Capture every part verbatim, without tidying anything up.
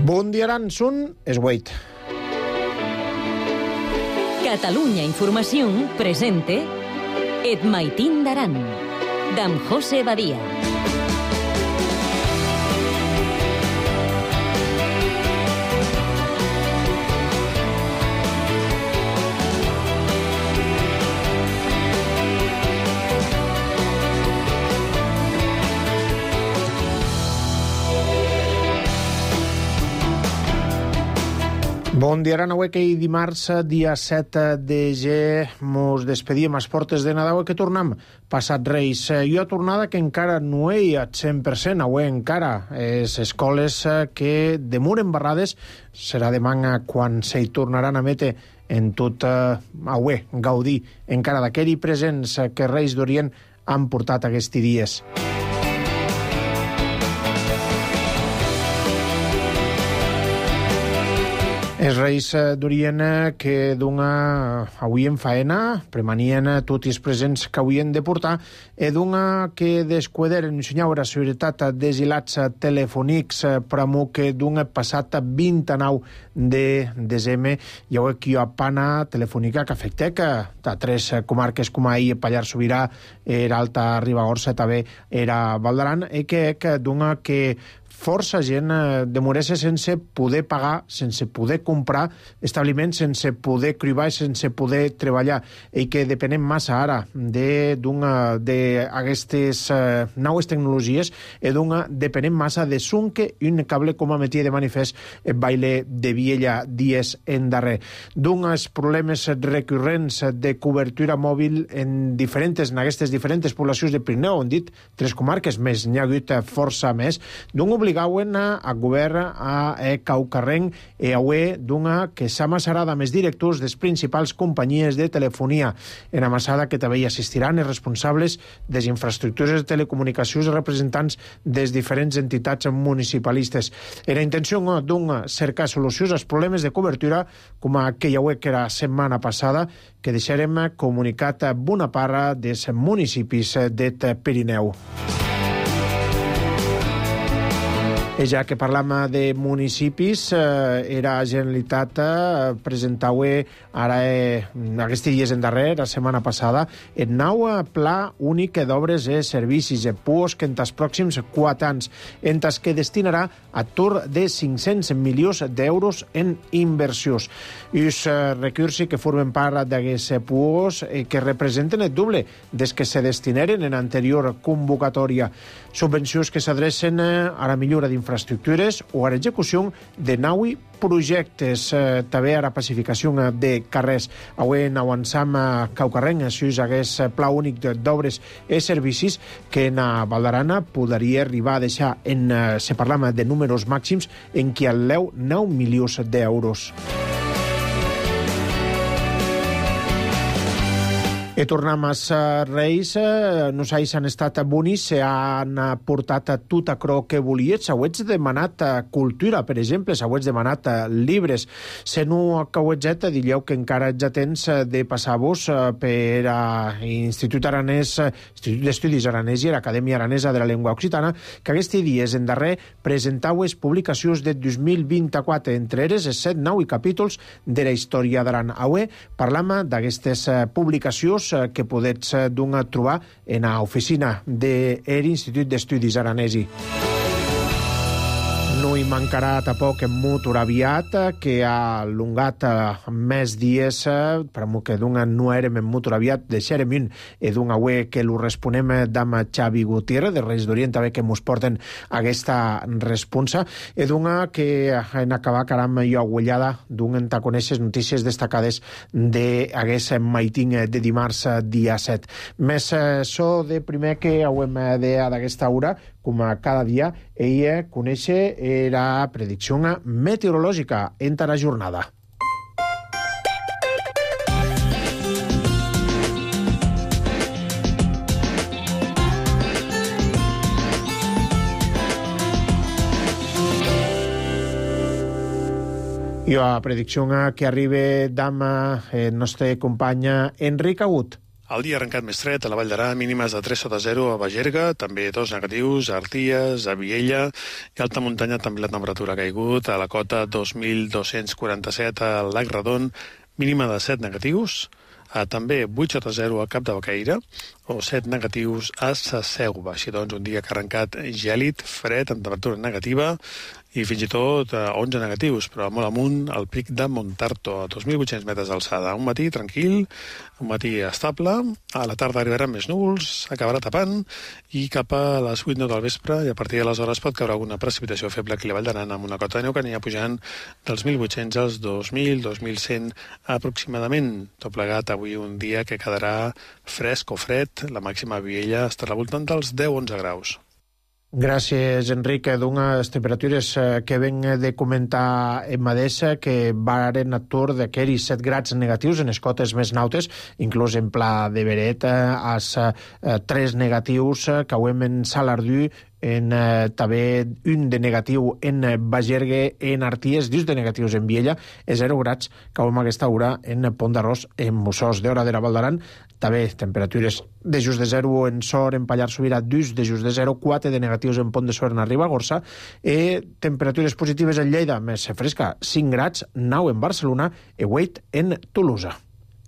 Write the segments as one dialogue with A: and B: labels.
A: Bon dia, Aran, són es huit.
B: Catalunya Informació presente Et Maitín d'Aran, d'en José Badia.
A: Bon dia, Aran, avui que dimarts, dia set de gener, mos despedíem a les portes de Nadal, que tornem passat Reis. Jo a tornada que encara no hi ha cent per cent, avui encara. Les escoles que demoren barrades serà demà quan s'hi tornaran a metre en tot avui, gaudir encara d'aquell presents que Reis d'Orient han portat aquests dies. Els Reis d'Orient que d'una avui en faena premanien tots els presents que havien de portar e d'una que descuideren ensenyar la seguretat dels hilats telefònics per amor que d'una passat vint-i-nou de desembre hi ha aquí a pana telefònica que afecta que a tres comarques com ahir Pallars Sobirà, era Alta Ribagorça, també era Val d'Aran, i que d'una que força gent demoressa sense poder pagar, sense poder comprar establiments, sense poder cribar i sense poder treballar, i que depenem massa ara d'aquestes noves tecnologies i d'una depenem massa de sunque i un cable com a metia de manifest el baile de Viella dies en darrer. D'uns problemes recurrents de cobertura mòbil en diferents, en aquestes diferents poblacions de Pirineu, on dit tres comarques, més n'hi ha hagut força més, d'un obligauen a govern a Caucarrenc e aue d'una que s'ha amassarada amb els directors des principals companyies de telefonia en amassada que també hi assistiran els responsables de les infraestructures de telecomunicacions i representants des diferents entitats municipalistes. Era intenció d'un cercar solucions als problemes de cobertura com aquella aue que era setmana passada que deixarem comunicat bona part dels municipis de Pirineu. I ja que parlam de municipis, eh, era Generalitat eh, presentava ara eh, aquests dies en darrer, la setmana passada, el nou pla únic d'obres i servicis de P U O S que en els pròxims quatre anys, en els que destinarà a tour de cinc-cents milions d'euros en inversions. I els eh, recursos que formen part d'aquest P U O S eh, que representen el doble des que se destinaren en anterior convocatòria. Subvencions que s'adrecen eh, a la millora d'infraestructures infraestructures o a l'execució de nou projectes, eh, també a la pacificació de carrers. Avui en avançam a Caucarrenc, això és aquest pla únic d'obres i servicis que en Val d'Aran podria arribar a deixar, en, eh, si parlam de números màxims, en qui el leu nou milions d'euros. I tornem als Reis, nosaltres han estat bonis, han portat tot això que volien, s'hauets demanat cultura, per exemple, s'hauets demanat llibres. Se no acabetget, digueu que encara ja tens de passar-vos per l'Institut Aranès, Institut d'Estudis Aranès i l'Acadèmia Aranesa de la Llengua Occitana, que aquests dies en darrer presentau les publicacions de dos mil vint-i-quatre, entre elles els set nous capítols de la història d'Aran. Avui parlam d'aquestes publicacions que podets trobar en l'oficina de l'Institut d'Estudis Aranesi. No hi mancarà tampoc en molt aviat, que ha allungat més dies, per que d'una no érem en molt aviat, deixarem un i d'una avui que l'ho responem d'amb Xavi Gutiérrez, de Reis d'Orient, també que mos porten aquesta responsa, i d'una que en acabar caram jo agullada d'un en conèixer notícies destacades d'aquest maitín de dimarts dia set. Més so de primer que hauem d'aquesta hora, com a cada dia, ella conèixer la predicció meteorològica en la jornada. I la predicció que arriba d'amb el nostre company Enric Agut.
C: El dia ha arrencat més fred a la Vall d'Aran, mínimes de tres sota zero a Bagerga, també dos negatius a Arties, a Viella, i a alta muntanya també la temperatura ha caigut, a la cota dos mil dos-cents quaranta-set al Lac Redon, mínima de set negatius, a també vuit sota zero a Cap de Bocaire, o set negatius a Sa Selva. Així doncs, un dia que ha arrencat gèlid, fred, amb temperatura negativa, i fins i tot a onze negatius, però molt amunt al pic de Montarto, a dos mil vuit-cents metres d'alçada. Un matí tranquil, un matí estable, a la tarda arribaran més núvols, acabarà tapant, i cap a les vuit del vespre, i a partir de les hores pot caure alguna precipitació feble aquí a la Vall d'Aran, amb una cota de neu que anirà pujant dels mil vuit-cents als dos mil, dos mil cent aproximadament. Tot plegat avui un dia que quedarà fresc o fred, la màxima a Viella estarà al voltant dels deu a onze graus.
A: Gràcies, Enric. D'unes temperatures que ven de comentar en Madesa que varen atur d'aquells set grads negatius en les cotes més nautes, inclús en Pla de Beret, als tres negatius que ho hem en Salardú, en eh, també un de negatiu en Bagergue, en Arties, dos de negatius en Viella, i zero grads que ho hem aquesta hora en Pont d'Arròs, en Mussós. D'hora de la Val d'Aran, també temperatures de just de zero en Sor, en Pallars Sobirà, dos de just de zero, quatre de negatius en Pont de Sor, en Ribagorça, i temperatures positives en Lleida, més fresca, cinc grads, nou en Barcelona i vuit en Tolosa.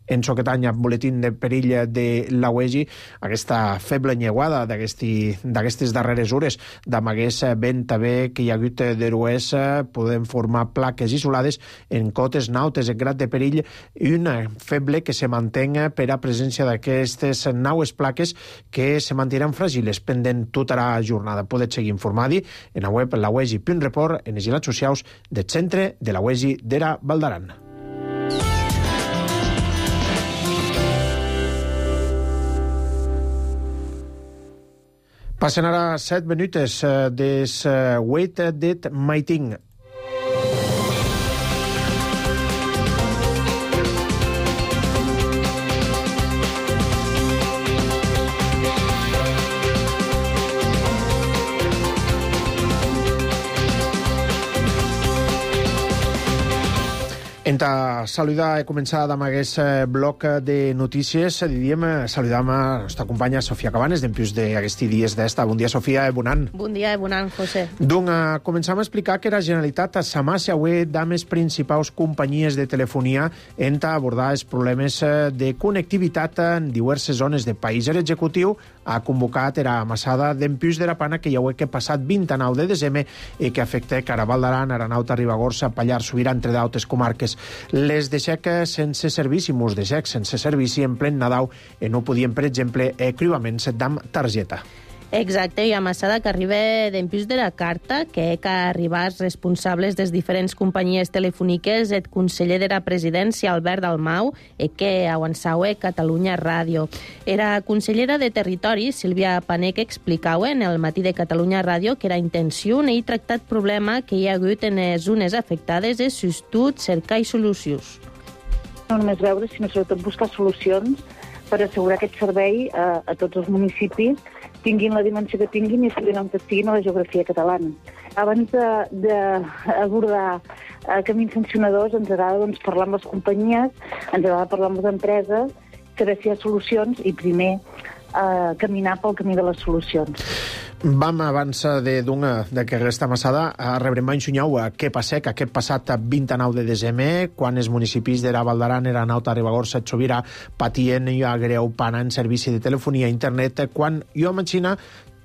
A: En Soquetanya, boletín de perill de la U E G I, aquesta feble nyeuada d'aquestes darreres hores d'amagués vent també que hi ha hagut d'eruers, podem formar plaques isolades en cotes nautes en grad de perill, i una feble que se mantén per a presència d'aquestes naues plaques que se mantindran fràgiles pendent tota la jornada. Podeu seguir informadi en la web la u e g i punt report, en els ilats socials del centre de la U E G I de la Val d'Aran. Passen ara set minutes des vuit d'et Maiting. Enta saludar, he començat amb aquest bloc de notícies. Diríem, saludam a la nostra companya Sofia Cabanes, d'empius d'aquests dies d'esta. Bon dia, Sofia, e bon any.
D: Bon dia, e bon any, José.
A: Doncs començam a explicar que la Generalitat s'amassa avui amb les principals companyies de telefonia en abordar els problemes de connectivitat en diverses zones del país. L'executiu ha convocat la amassada d'empius de la Pana que hi ha que passat vint-i-nou de desembre i que afecta Caraval d'Aran, Aranauta, Ribagorça, Pallars Sobirà, entre d'altres comarques. Les deixec sense servici, mos deixec sense servici en plen Nadal, i no podien, per exemple, cribaments d'am targeta.
D: Exacte, i amassada que arriba d'empius de la carta, que que arribar els responsables des diferents companyies telefòniques, el conseller de la presidència, Albert Dalmau, i que avançaue Catalunya Ràdio. Era consellera de Territori, Sílvia Panec, explicava en el matí de Catalunya Ràdio que era intenció i tractat problema que hi ha hagut en les zones afectades és sostut cercar i solucions.
E: No només veure, sinó sobretot buscar solucions per assegurar aquest servei a, a tots els municipis, tinguin la dimensió que tinguin i estiguin on estiguin a la geografia catalana. Abans d'abordar camins sancionadors, ens agrada doncs, parlar amb les companyies, ens agrada parlar amb les empreses, saber si hi ha solucions i primer eh, caminar pel camí de les solucions.
A: Vam, abans de, de que aquesta amassada, a rebre mai ensenyau què passà que aquest passat vint-i-nou de desembre, quan els municipis de la Val d'Aran, Aranauta, Ribagorça, Sobirà, patien i greu pana en servici de telefonia i internet, quan jo imagina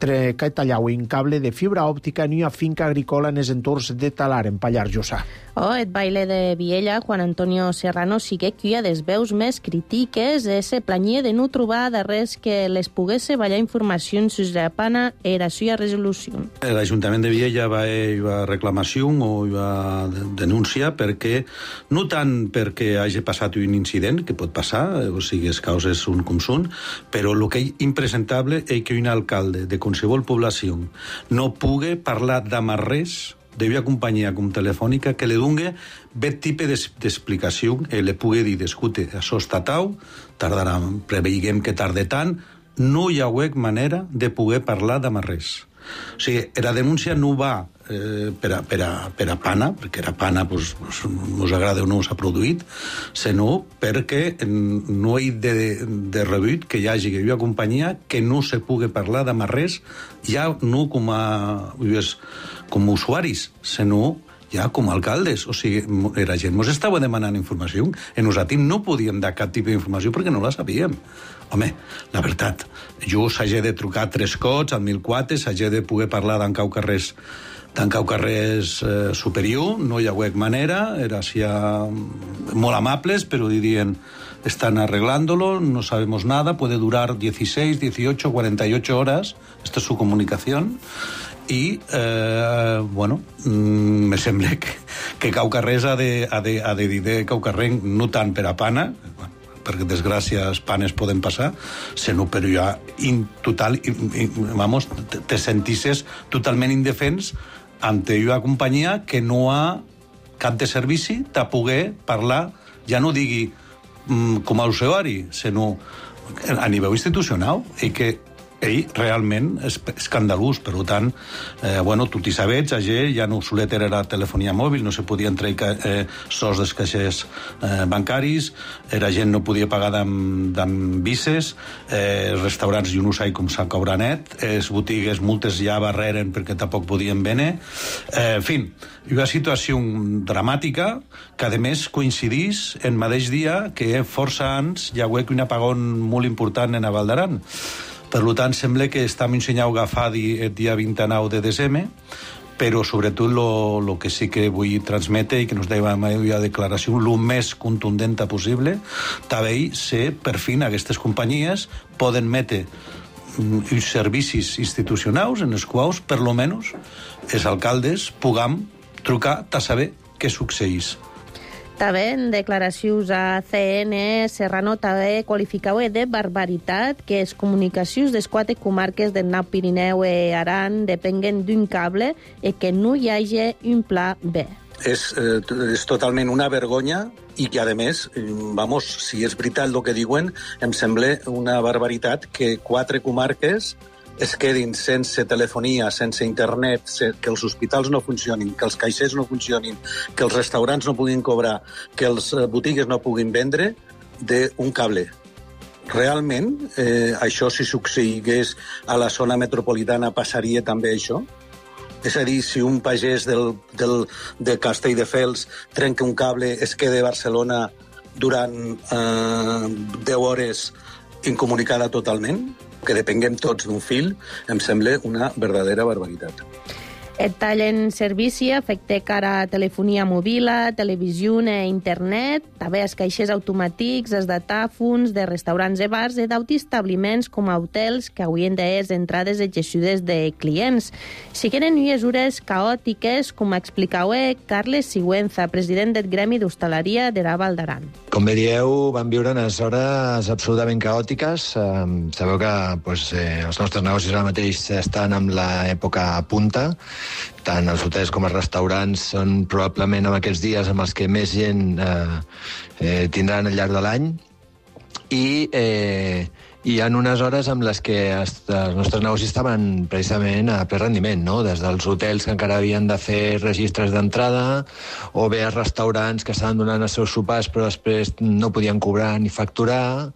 A: que tallau un cable de fibra òptica en una finca agrícola en els entorns de Talar, en Pallars Jussà.
D: Oh, el baile de Viella, Juan Antonio Serrano, sí que hi ha des veus més crítiques, se planyia de no trobar de res que les pogués ballar informacions sobre la pana i la seva resolució.
F: L'Ajuntament de Viella va fer reclamació o va denúncia perquè, no tant perquè hagi passat un incident, que pot passar, o sigui, les causes són com són, però el que és impresentable és que un alcalde de qualsevol població no pugui parlar de res d'una companyia com Telefònica que li doni aquest tipus d'explicació i li pugui dir, escolta, això està tau, tardarà, preveiguem que tarda tant, no hi ha manera de poder parlar de res. O sigui, la denúncia no va eh, per, a, per, a, per a pana, perquè la pana pues, us agrada o no s'ha produït, sinó perquè no hi de, de rebut que hi hagi que hi ha companyia que no se pugui parlar de res, ja no com a, com a usuaris, sinó ja com a alcaldes. O sigui, la gent ens estava demanant informació i nosaltres no podíem dar cap tipus d'informació perquè no la sabíem. Home, la veritat, jo s'hagi de trucar tres cots al mil quatre, s'hagi de poder parlar d'en cau carrers d'en cau carrers eh, superior, no hi ha hagut manera, era així molt amables, però dirien, están arreglándolo, no sabemos nada, puede durar dieciséis, dieciocho, cuarenta y ocho horas, esta es su comunicación, i, eh, bueno, mm, me sembla que, que cau carrers ha de, ha de, ha de dir de cau carrer no tant per a pana, perquè desgràcies panes poden passar, sinó però ja in, total, in, in, vamos, te, te sentisses totalment indefens ante una companyia que no ha cap de servici de poder parlar, ja no digui mm, com a usuari, sinó a nivell institucional, i que ell realment és escandalós. Per tant, eh, bueno, tu t'hi sabets, allà ja no solet era la telefonia mòbil, no se podien treure eh, sos dels caixers eh, bancaris, la gent no podia pagar amb vices, eh, els restaurants jo no sé com s'ha cobrat net, les botigues moltes ja barreren perquè tampoc podien vendre. Eh, en fi, una situació dramàtica que a més coincidís en mateix dia que força anys hi ha hagut un apagón molt important en a Val d'Aran. Per tant, sembla que estem ensenyant a agafar el dia vint-i-nou de desembre, però sobretot el que sí que vull transmetre i que nos deia la declaració el més contundent possible, també ser, per fi, aquestes companyies poden metre uns servicis institucionals en els quals, per lo menos, els alcaldes puguem trucar a saber què succeeix.
D: També en declaracions a C N, Serrano també qualificava de barbaritat que les comunicacions de les quatre comarques del Nau Pirineu i Aran depenguen d'un cable i que no hi hagi un pla B.
F: És, eh, és totalment una vergonya i que, a més, vamos, si és veritat el que diuen, em sembla una barbaritat que quatre comarques es quedin sense telefonia, sense internet, que els hospitals no funcionin, que els caixers no funcionin, que els restaurants no puguin cobrar, que els botigues no puguin vendre, d'un cable. Realment, eh, això si succeís a la zona metropolitana passaria també això? És a dir, si un pagès del, del, de Castelldefels trenca un cable, es queda a Barcelona durant eh, deu hores incomunicada totalment, que depenguem tots d'un fil, em sembla una verdadera barbaritat.
D: El tall en servici afecta cara a telefonia mòbil, televisió i internet, també els caixers automàtics, els datàfons de restaurants i bars i d'autoestabliments com a hotels que haurien de les entrades exercides de clients. Si queden mesures caòtiques, com explicava Carles Sigüenza, president del Gremi d'Hostaleria de la Val d'Aran.
G: Com bé dieu, vam viure unes hores absolutament caòtiques. Eh, sabeu que pues, eh, els nostres negocis ara mateix estan en l'època punta. Tant els hotels com els restaurants són probablement en aquests dies amb els que més gent eh, eh, tindran al llarg de l'any. I eh, hi ha unes hores amb les que els nostres negocis estaven precisament a ple rendiment, no? Des dels hotels que encara havien de fer registres d'entrada, o bé els restaurants que estaven donant els seus sopars però després no podien cobrar ni facturar.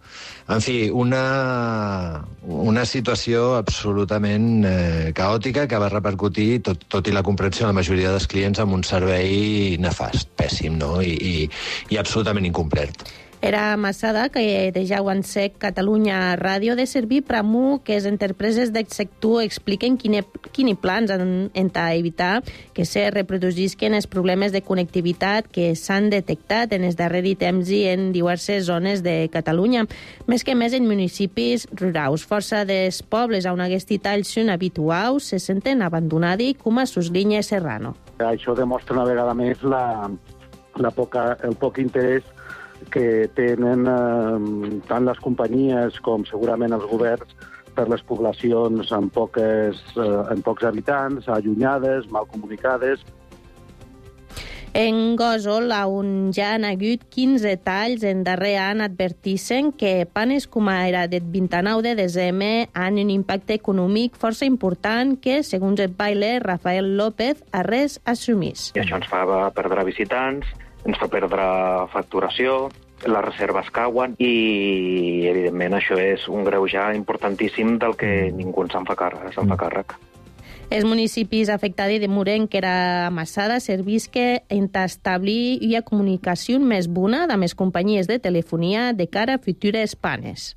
G: En fi, una, una situació absolutament eh, caòtica que va repercutir, tot, tot i la comprensió de la majoria dels clients, amb un servei nefast, pèssim, no? I, i, i absolutament incomplet.
D: Era Massada que de ja ho en sec Catalunya Ràdio de servir per a que les empreses del sector expliquen quins quin plans han d'evitar que se reproduïsquen els problemes de connectivitat que s'han detectat en els darrers temps i en diverses zones de Catalunya. Més que més en municipis rurals. Força dels pobles on aquests talls són habituals se senten abandonats com a sus línies Serrano.
H: Això demostra una vegada més la, la poca, el poc interès que tenen eh, tant les companyies com segurament els governs per les poblacions amb, poques, eh, amb pocs habitants, allunyades, mal comunicades.
D: En Gósol, on ja han hagut quinze talls en darrer any, advertissem que panes com era del vint-i-nou de desembre han un impacte econòmic força important que, segons el baile Rafael López, a res assumís.
I: I això ens fa perdre visitants, ens fa perdre facturació, les reserves cauen i, evidentment, això és un greuge importantíssim del que ningú se'n fa càrrec. Se'n fa càrrec.
D: Els municipis afectats de Murenquera Massada servisque en establir una comunicació més bona amb les companyies de telefonia de cara a futures panes.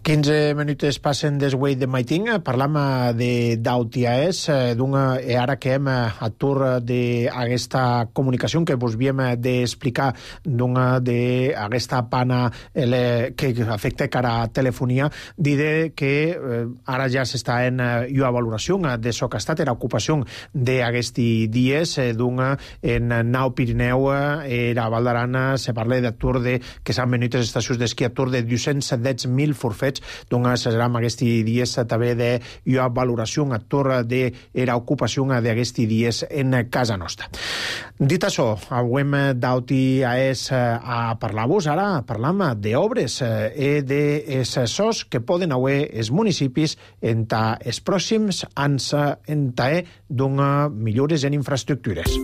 A: quinze minutes passen des Way de Maiting. Parlam de d'Autiaes, d'una, ara que hem a tour d'aquesta comunicació que vos havíem d'explicar d'una d'aquesta pana que afecta cara a telefonia, diré que ara ja s'està en una valoració de so que ha estat, era ocupació d'aquesti dies d'una en Nau Pirineu, era Val d'Arana, se parla de tour de que s'han venut les estacions d'esquí a tour de dos-cents deu mil forfets, doncs serà aquests dies també d'una valoració a torre de la ocupació d'aquests dies en casa nostra. Dit això, avui d'Auti és a parlar-vos, ara parlam d'obres i de sos que poden haver els municipis en els pròxims anys en donar millores en infraestructures.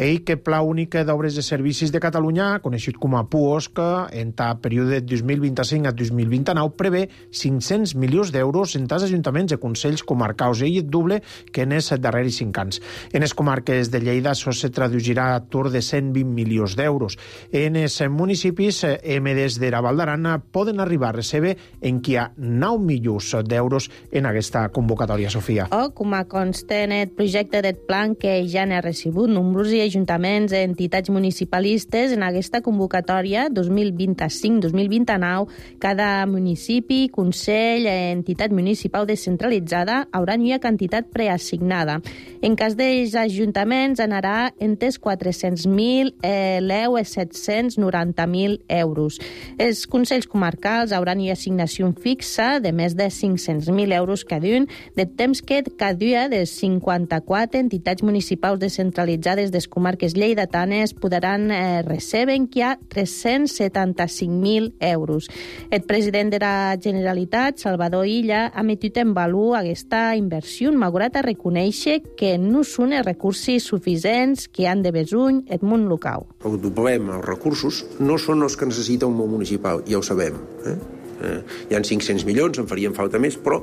A: Ell que Pla Únic d'Obres de Servicis de Catalunya, coneixut com a PUOSC, en el període dos mil vint-i-cinc a dos mil vint-i-nou, prevé cinc-cents milions d'euros en els ajuntaments i consells comarcals, i el doble que en els darrers cinc anys. En les comarques de Lleida això se traduirà a tour de cent vint milions d'euros. En els municipis emedes de la Val d'Arana poden arribar a recebre en qui hi ha nou milions d'euros en aquesta convocatòria, Sofia.
D: O, com a consta en el projecte del plan que ja n'ha recibut nombrosos i ajuntaments i entitats municipalistes en aquesta convocatòria dos mil vint-i-cinc dos mil vint-i-nou, cada municipi, consell, entitat municipal descentralitzada haurà una quantitat preassignada. En cas dels ajuntaments anarà entre quatre-cents mil l'eu a set-cents noranta mil euros. Els consells comarcals hauran una assignació fixa de més de cinc-cents mil euros cada un, de temps que cada dia de cinquanta-quatre entitats municipals descentralitzades des comarques lleidatanes podran eh, recebre que hi ha tres-cents setanta-cinc mil euros. El president de la Generalitat, Salvador Illa, ha metut en valor aquesta inversió, malgrat a reconèixer que no són els recursos suficients que han de besuny el món local.
J: El problema, els recursos, no són els que necessita un món municipal, ja ho sabem. Eh? Eh, hi ha cinc-cents milions, en farien falta més, però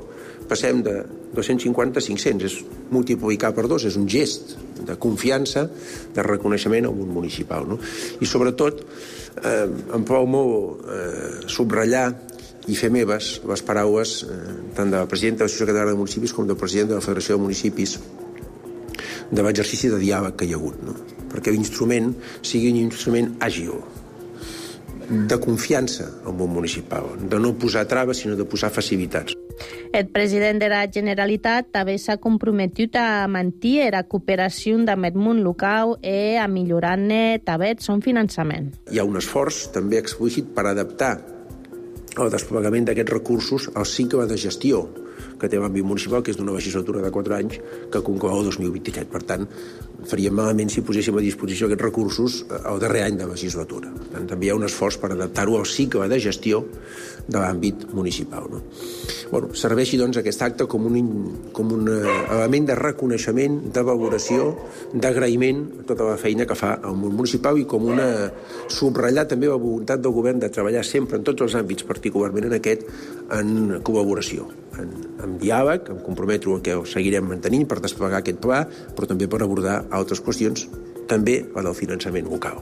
J: passem de dos-cents cinquanta a cinc-cents, és multiplicar per dos, és un gest de confiança, de reconeixement al món municipal. No? I sobretot, eh, em plau molt eh, subratllar i fer meves les paraules eh, tant de la presidenta de l'Associació Catalana de Municipis com del president de la Federació de Municipis de l'exercici de diàleg que hi ha hagut, no? Perquè l'instrument sigui un instrument àgil, de confiança al món municipal, de no posar traves, sinó de posar facilitats.
D: El president de la Generalitat també s'ha comprometut a mantenir la cooperació amb el món local i a millorar-ne també el seu finançament.
J: Hi ha un esforç també explícit per adaptar el desplegament d'aquests recursos al cicle de gestió que té l'àmbit municipal, que és d'una legislatura de quatre anys que conclou el dos mil vint-i-set. Per tant, faríem malament si poséssim a disposició aquests recursos al darrer any de legislatura. Per tant, també hi ha un esforç per adaptar-ho al cicle de gestió de l'àmbit municipal. No? Bueno, serveixi, doncs, aquest acte com un, com un element de reconeixement, de valoració, d'agraïment a tota la feina que fa el món municipal i com una subratllar també la voluntat del govern de treballar sempre en tots els àmbits, particularment en aquest, en col·laboració, en, en diàleg, em comprometo a que ho seguirem mantenint per desplegar aquest pla, però també per abordar altres qüestions, també la del finançament local,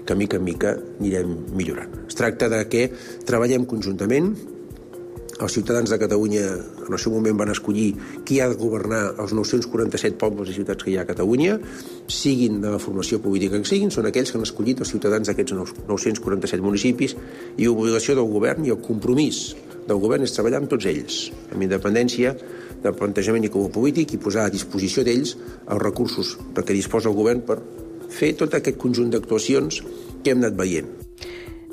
J: que mica en mica anirem millorant. Es tracta de que treballem conjuntament els ciutadans de Catalunya en el seu moment van escollir qui ha de governar els nou-cents quaranta-set pobles i ciutats que hi ha a Catalunya, siguin de la formació política que siguin, són aquells que han escollit els ciutadans d'aquests nou-cents quaranta-set municipis, i l'obligació del govern i el compromís del govern és treballar amb tots ells, amb independència del plantejament i com a polític, i posar a disposició d'ells els recursos de què disposa el govern per fer tot aquest conjunt d'actuacions que hem anat veient.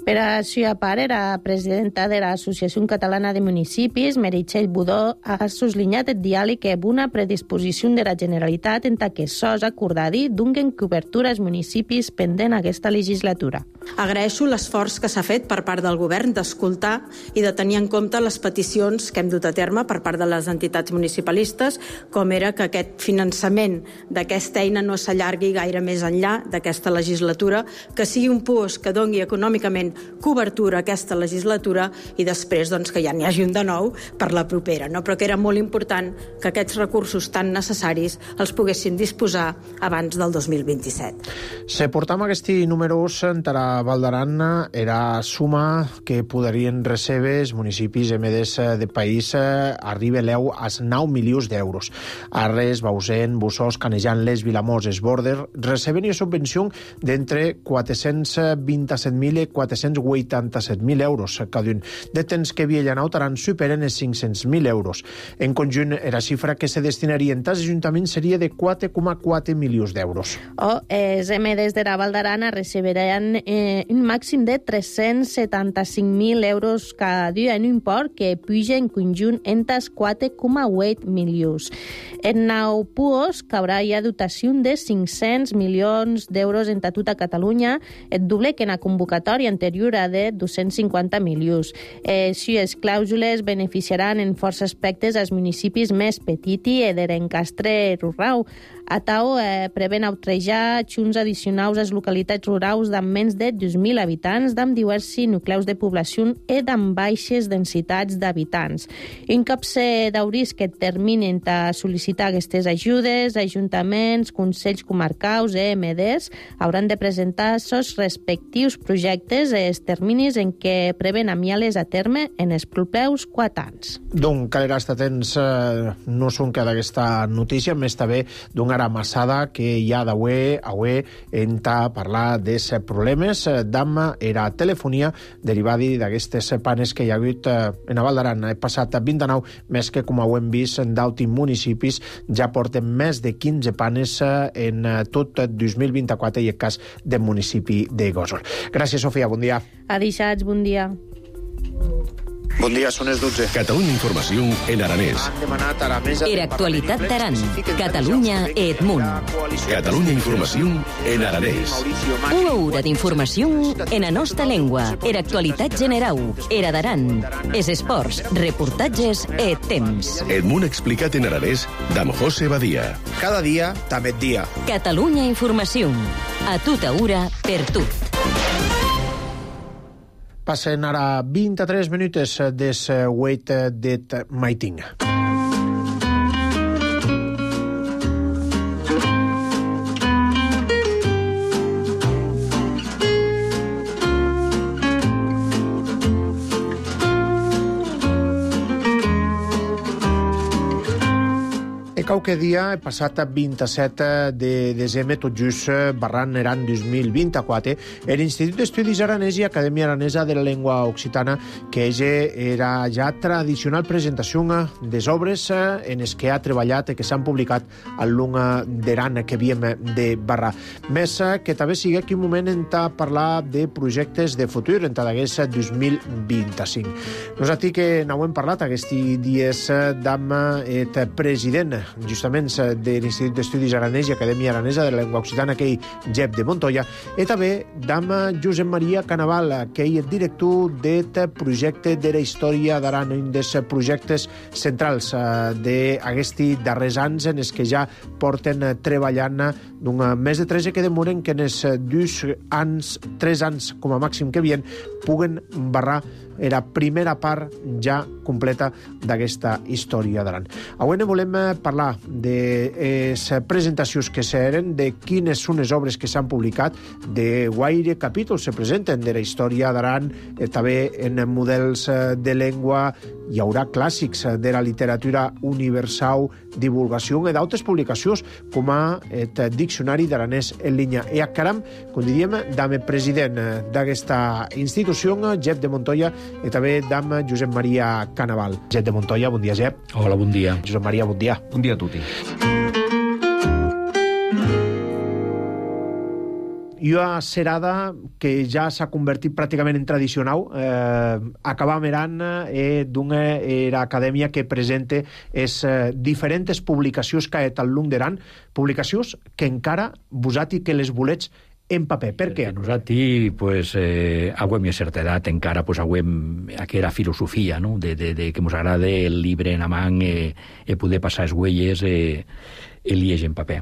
D: Per això, a part, era presidenta de l'Associació Catalana de Municipis, Meritxell Budó, ha sublinhat el diàleg amb una predisposició de la Generalitat en que sos acordadi donguen cobertura als municipis pendent aquesta legislatura.
K: Agraeixo l'esforç que s'ha fet per part del govern d'escoltar i de tenir en compte les peticions que hem dut a terme per part de les entitats municipalistes, com era que aquest finançament d'aquesta eina no s'allargui gaire més enllà d'aquesta legislatura, que sigui un puos que doni econòmicament cobertura a aquesta legislatura i després doncs, que ja n'hi hagi un de nou per la propera, no? Però que era molt important que aquests recursos tan necessaris els poguessin disposar abans del dos mil vint-i-set.
A: Se portam aquests números entre Val d'Aran era suma que podrien recebre els municipis emedes de país arriba l'eu als nou milions d'euros. Arres, Bausen, Bussos, Canejan, Les, Vilamós, Esborder receben una subvenció d'entre quatre-cents vint-i-set mil i quatre-cents vuitanta-set mil euros cada un. De temps que Viellanau Taran superen els cinc-cents mil euros. En conjunt, la xifra que se destinarien als ajuntaments seria de quatre coma quatre milions d'euros.
D: O els emedes de la Val d'Aran recebiran eh, un màxim de tres-cents setanta-cinc mil euros cada dia, en un import que puja en conjunt entre quatre coma vuit milions. En nou puos caurà ja dotació de cinc-cents milions d'euros en tota Catalunya, el doble que en la convocatòria anterior de dos-cents cinquanta milions. Eh, si les clàusules beneficiaran en força aspectes als municipis més petits i d'Erencastre rural. A Tau eh, prevén autrejar xunts addicionals a les localitats rurals d'amb menys de dos mil habitants, d'amb diversos nucleus de població i d'amb baixes densitats d'habitants. Un cop se dauris que terminen a sol·licitar aquestes ajudes, ajuntaments, consells comarcals i E M Ds hauran de presentar els respectius projectes i els terminis en què prevén enviar-les a terme en els propers quatre anys.
A: Donc, calera estar atents, eh, no són que d'aquesta notícia, més també d'un ara massada que hi ha d'avui avui en ta parlar dels problemes d'amma era telefonia derivada d'aquestes panes que hi ha hagut en Val d'Aran. He passat vint-i-nou, més que com ho hem vist en d'altres municipis ja porten més de quinze panes en tot dos mil vint-i-quatre i el cas del municipi de Gósol. Gràcies, Sofia, bon dia.
D: Adixats, bon dia.
L: Bon dia, són les dotze.
M: Catalunya Informació en aranès.
B: Era actualitat d'Aran. Catalunya et munt.
M: Catalunya Informació en aranès.
B: Una hora d'informació en la nostra llengua. Era actualitat generau. Era d'Aran. Es esports, reportatges et temps.
M: El munt explicat en aranès d'Am José Badia.
L: Cada dia, també et dia.
B: Catalunya Informació. A tota hora, per tu.
A: Passen ara vint-i-tres minuts des Wait That Maiting. Qualque dia, passat vint-i-set de desembre, tot just barran eran dos mil vint-i-quatre, l'Institut d'Estudis Aranès i Acadèmia Aranesa de la Llengua Occitana, que era ja tradicional presentació des obres en les que ha treballat i que s'han publicat al long d'Aran que havíem de barrar. Més que també sigui aquí un moment en parlar de projectes de futur en d'aquest dos mil vint-i-cinc. Nosaltres que n'hem parlat aquests dies d'amb el president justament de l'Institut d'Estudis Aranès i Acadèmia Aranesa de la Llengua Occitana, aquell Jep de Montoya, i també d'amb Josep Maria Canaval, aquell director del projecte de la història d'Aran, un dels projectes centrals d'aquests darrers anys en els que ja porten treballant d'un més de tres que demoren que en els dos anys, tres anys com a màxim que havien, puguen barrar la primera part ja completa d'aquesta història d'Aran. Avui ne volem parlar de les presentacions que s'eren, de quines són les obres que s'han publicat, de guaire capítols se presenten de la història d'Aran, eh, també en models de llengua hi haurà clàssics de la literatura universal, divulgació e d'altres publicacions, com a el Diccionari d'Aranès en línia. E acaram, com diríem, damb el president d'aquesta institució, Jep de Montoya, i també damb Josep Maria Canaval. Jep de Montoya, bon dia, Jep.
N: Hola, bon dia.
A: Josep Maria, bon dia.
N: Bon dia a tutti.
A: I una serada que ja s'ha convertit pràcticament en tradicional. Eh, acabar mirant eh, d'una era acadèmia que presenta es, eh, diferents publicacions que al long d'aran, publicacions que encara vosati que les volets en paper. Per què?
N: Nosaltres, pues, eh, hauem a certa edat encara, pues, hauem aquella filosofia, no?, de, de, de que ens agrada el llibre en amant i eh, eh, poder passar les huelles eh, el lleig en paper.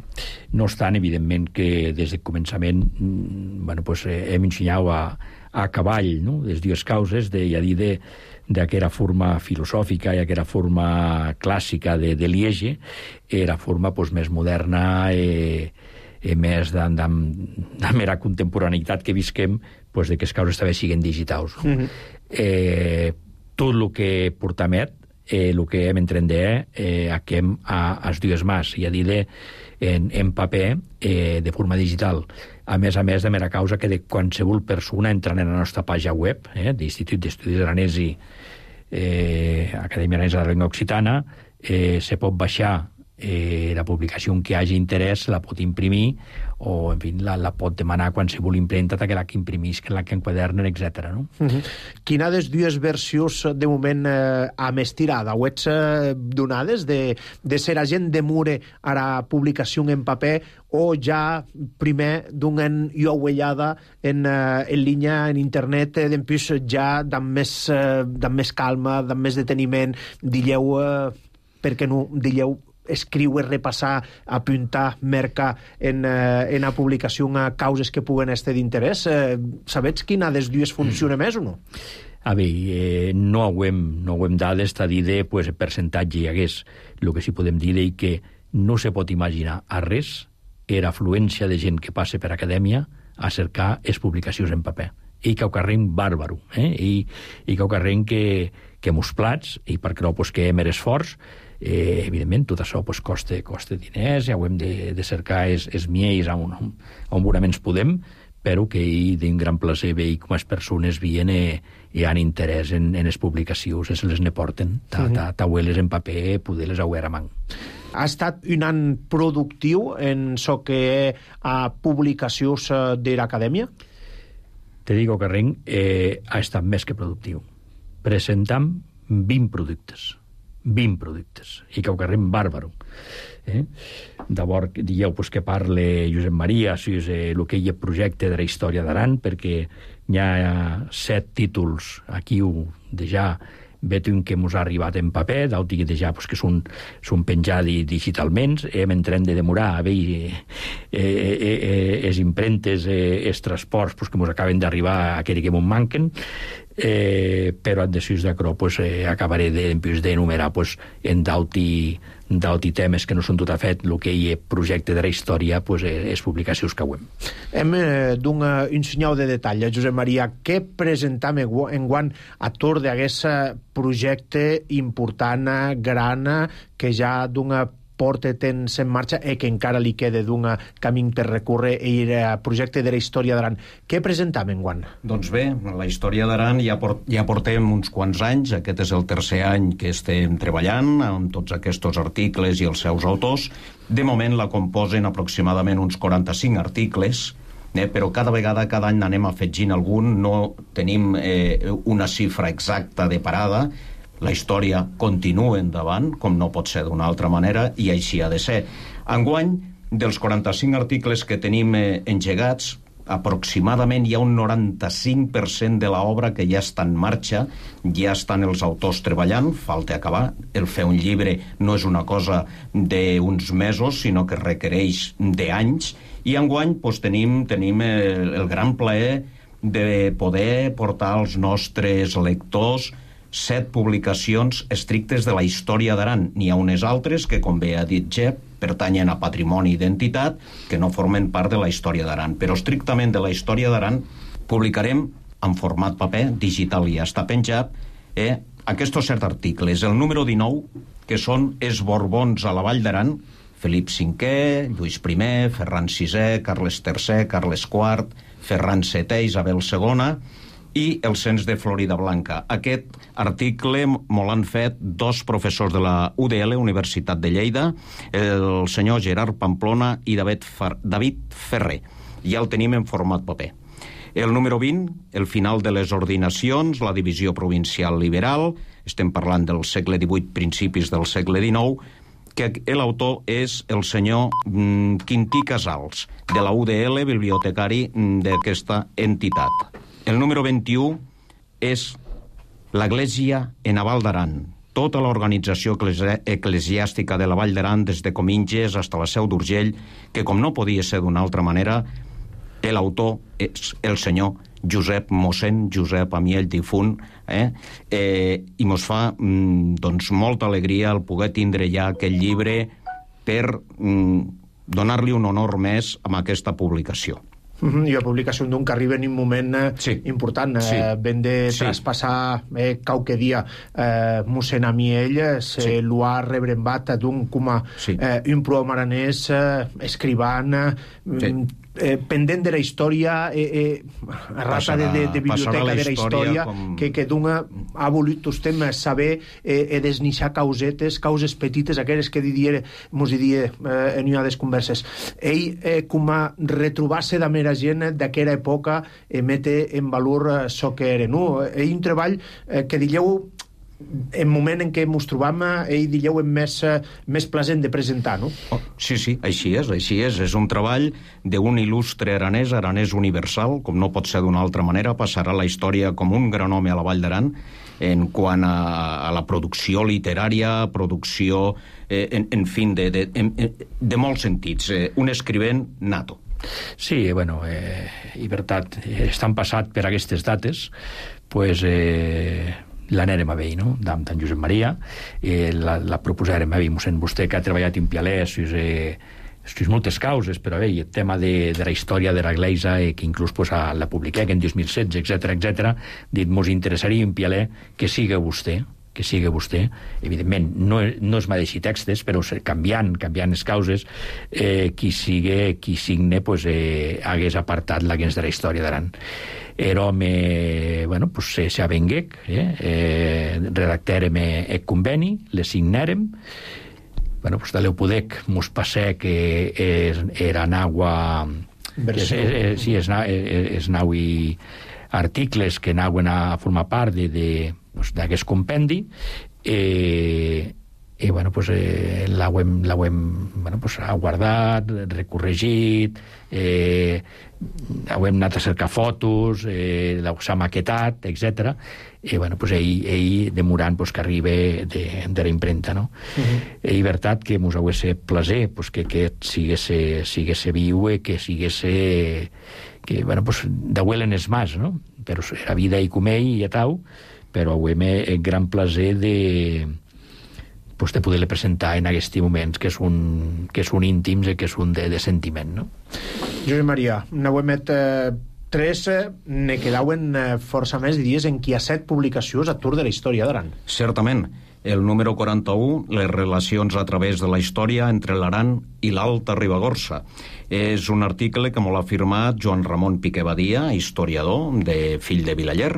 N: No obstant, evidentment, que des del començament bueno, pues, eh, hem ensenyat a, a cavall, no?, les dues causes, de, ja dir, de, d'aquella forma filosòfica i aquella forma clàssica de, de liege, era forma pues, més moderna i eh, més de, de, de mera contemporaneïtat que visquem, pues, de que les causes també siguin digitals. No? Mm-hmm. eh, tot el que portamet, Eh, el que hem entrendat eh, aquem a, a les dues mans, i a dir de, en, en paper, eh, de forma digital. A més a més, de mera causa que de qualsevol persona entrant en la nostra pàgina web, eh, d'Institut d'Estudis Aranès i eh, Acadèmia Aranesa de la Llengua Occitana, eh, se pot baixar eh, la publicació en què hagi interès, la pot imprimir, o, en fi, la, la pot demanar a qualsevol impremta que la que imprimisc, la que enquadernen, etcètera. No?
A: Uh-huh. Quina de les dues versions de moment eh, a més tirada? Ho ets eh, donades de, de ser agent de mure a la publicació en paper o ja primer donen jo uellada en, eh, en línia, en internet, eh, després ja d'amb més, eh, d'amb més calma, d'amb més deteniment, dilleu, eh, per què no, dilleu escriure, repassar, apuntar, mercar en, eh, en la publicació a causes que puguen estar d'interès. Eh, sabets quina des dues funciona mm. més o no?
N: A veure, eh, no hauem, no hauem dades a dir de pues, percentatge hi hagués. El que sí podem dir és que no se pot imaginar a res era afluència de gent que passa per acadèmia a cercar les publicacions en paper. I que ho carreguen bàrbaro, eh? I, i que ho carreguen que, que mos plats, i perquè no, pues, que hem esforç. Eh, evidentment, tot això pues, costa, costa diners, ja ho hem de, de cercar els, els miells on, on bonament podem, però que hi d'un gran plaer veure com les persones veien i, i han interès en, en les publicacions, se les ne porten, taueles en paper, poder-les auer a mà.
A: Ha estat un any productiu en això que a publicacions de l'acadèmia?
N: Te digo que Ring eh, ha estat més que productiu. Presentam vint productes. vint productes, i que ho carrem bàrbaro. Eh? D'abord, dieu pues, que parle Josep Maria, si és eh, el que hi ha projecte de la història d'Aran, perquè hi ha set títols aquí de ja veig un que ens ha arribat en paper, d'altres que ja pues, que són, són penjats digitalment, hem entrat de demorar a veure eh, eh, eh, les impremtes, eh, els transports pues, que ens acaben d'arribar a aquells que ens manquen, eh, però en decisions d'acrò pues, eh, acabaré d'enumerar pues, en d'altres temes que no són tot a fet el que hi ha projecte de la història, pues, eh, les publicacions que hem.
A: Hem eh, d'un uh, un senyal de detall, eh, Josep Maria, què presentam en guant a tot d'aquest projecte important, gran, que ja d'una porta tens en marxa i que encara li queda d'un camí per recórrer i el projecte de la història d'Aran. Què presentam en guant?
O: Doncs bé, la història d'Aran ja, port, ja portem uns quants anys, aquest és el tercer any que estem treballant amb tots aquests articles i els seus autors. De moment la composen aproximadament uns quaranta-cinc articles, eh, però cada vegada, cada any n'anem afegint algun, no tenim eh, una xifra exacta de parada. La història continua endavant, com no pot ser d'una altra manera, i així ha de ser. Enguany, dels quaranta-cinc articles que tenim eh, engegats, aproximadament hi ha un noranta-cinc per cent de l'obra que ja està en marxa, ja estan els autors treballant, falta acabar. El fer un llibre no és una cosa d'uns mesos, sinó que requereix d'anys, i enguany doncs, tenim, tenim el, el gran plaer de poder portar als nostres lectors set publicacions estrictes de la història d'Aran. N'hi ha unes altres que, com bé ha dit Jep, pertanyen a patrimoni i identitat, que no formen part de la història d'Aran. Però estrictament de la història d'Aran publicarem en format paper, digital ja està penjat, eh, aquests set articles. El número dinou, que són els Borbons a la Vall d'Aran, Felip cinquè, Lluís primer, Ferran sisè, Carles tercer, Carles quart, Ferran setè, Isabel segona, i el cens de Florida Blanca. Aquest article me l'han fet dos professors de la U D L, Universitat de Lleida, el senyor Gerard Pamplona i David, Fer David Ferrer. Ja el tenim en format paper. El número vint, el final de les ordinacions, la divisió provincial liberal, estem parlant del segle divuit, principis del segle dinou, que l'autor és el senyor mm, Quintí Casals, de la U D L, bibliotecari d'aquesta entitat. El número vint-i-u és l'Església en la Val d'Aran, tota l'organització eclesiàstica de la Vall d'Aran, des de Cominges fins a la Seu d'Urgell, que com no podia ser d'una altra manera, l'autor és el senyor Josep Mossèn Josep Amiell difunt, eh? Eh, i mos fa mm, doncs, molta alegria el poder tindre ja aquest llibre per mm, donar-li un honor més amb aquesta publicació.
A: Mm-hmm. I la publicació d'un que arriba en un moment eh, sí. important. Eh, sí. Ben de sí. traspassar eh, qualque dia eh, mossèn Amiell se sí. lo ha rebrembat d'un com a sí. eh, un prohom aranès eh, escrivant eh, sí. Eh, pendent de la història eh, eh, rata de, de, de biblioteca la de la història com... que, que d'un ha volut usted saber eh, eh, desnixar causetes, causes petites, aquelles que didier, mos didia eh, en una des converses. Ell eh, com a retrobar-se de mera gent d'aquella època eh, mete en valor eh, so que era, no? Ell un treball eh, que digueu en moment en què ens trobam, ell digueu és més, més present de presentar, no?
O: Oh, sí, sí, així és, així és. És un treball d'un il·lustre aranès, aranès universal, com no pot ser d'una altra manera, passarà la història com un gran home a la Vall d'Aran en quant a, a la producció literària, producció, eh, en, en fi, de, de, de, de molts sentits. Eh, un escrivent nato.
N: Sí, bueno, eh, i veritat, estan passat per aquestes dates, pues... Eh... l'anèrem a veure, no?, d'en Josep Maria, eh, la, la proposarem a veure, mossèn vostè que ha treballat en Pialès, eh, és moltes causes, però bé, el tema de, de la història de l'Església, eh, que inclús pues, a, la publiqué en dos mil setze, etcètera, etcètera, dit, mos interessaria en Pialè que siga vostè, que siga vostè, evidentment, no, no es mateixi textos, però canviant, canviant les causes, eh, qui sigue, qui signe, pues, eh, hagués apartat la gens de la història d'Aran. Era home, bueno, pues se, se avenguec, eh? eh, redactèrem el conveni, le signèrem, bueno, pues de l'Eupudec mos passè que és, era naua... És, és, és, sí, és, és, és naui articles que nauen a formar part de, de, pues, d'aquest compendi, eh, i bueno, pues, eh, l'hem bueno, pues, guardat, recorregit, eh, hem anat a cercar fotos, eh, s'ha maquetat, etcètera. I bueno, pues, ell, ell demorant pues, que arriba de, de la impremta, no? Uh-huh. I veritat que mos hagués plaser pues, que aquest siguesse, siguesse viu i que siguesse... que, bueno, pues, d'auelen és mas, no? Però era vida i comell i atau, però hauem el gran plaser de... pues, de poder-le presentar en aquests moments que és un, que és un íntim i que és un de, de sentiment, no?
A: Josep Maria, n'hauem eh, tres, eh, ne quedauen eh, força més dies en qui ha set publicacions a Tour de la història d'Aran.
O: Certament. El número quaranta-u, les relacions a través de la història entre l'Aran i l'Alta Ribagorça. És un article que m'ho ha firmat Joan Ramon Piqué Badia, historiador, de fill de Vilaller,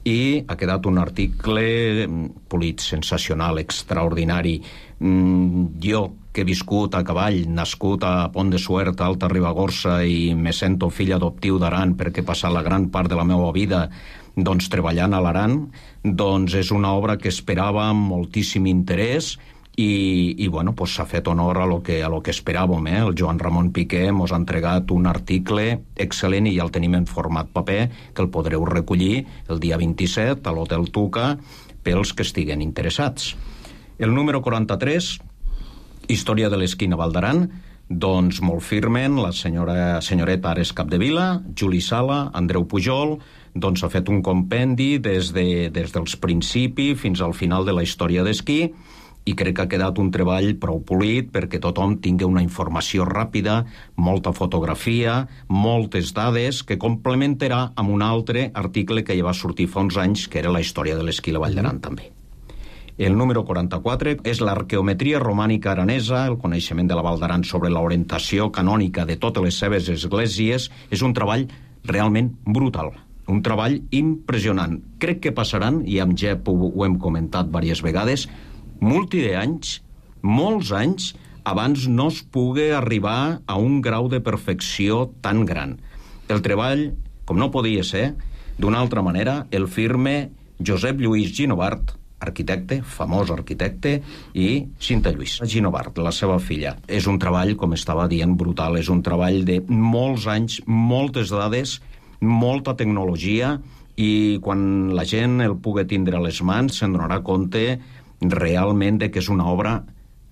O: i ha quedat un article polit, sensacional, extraordinari. Mm, jo, que he viscut a cavall, nascut a Pont de Suert, a Alta Ribagorça, i me sento fill adoptiu d'Aran perquè he passat la gran part de la meva vida doncs, treballant a l'Aran, doncs és una obra que esperava amb moltíssim interès i, i bueno, pues s'ha fet honor a lo que, a lo que esperàvem. Eh? El Joan Ramon Piqué mos ha entregat un article excel·lent i ja el tenim en format paper, que el podreu recollir el dia vint-i-set a l'Hotel Tuca pels que estiguen interessats. El número quaranta-tres, Història de l'esquina Val d'Aran, doncs molt firmen la senyora, senyoreta Ares Capdevila, Juli Sala, Andreu Pujol, doncs ha fet un compendi des, de, des dels principis fins al final de la història d'esquí, i crec que ha quedat un treball prou polit perquè tothom tingui una informació ràpida, molta fotografia, moltes dades, que complementarà amb un altre article que ja va sortir fa uns anys, que era la història de l'esquí a la Vall d'Aran, mm. també. El número quaranta-quatre és l'arqueometria romànica aranesa, el coneixement de la Val d'Aran sobre l'orientació canònica de totes les seves esglésies. És un treball realment brutal, un treball impressionant. Crec que passaran, i amb Jep ho, ho hem comentat diverses vegades, multi d'anys, molts anys, abans no es pugui arribar a un grau de perfecció tan gran. El treball, com no podia ser, d'una altra manera, el firme Josep Lluís Ginovart, arquitecte, famós arquitecte, i Cinta Lluís Ginovart, la seva filla. És un treball, com estava dient, brutal. És un treball de molts anys, moltes dades, molta tecnologia, i quan la gent el pugui tindre a les mans se'n donarà compte realment de que és una obra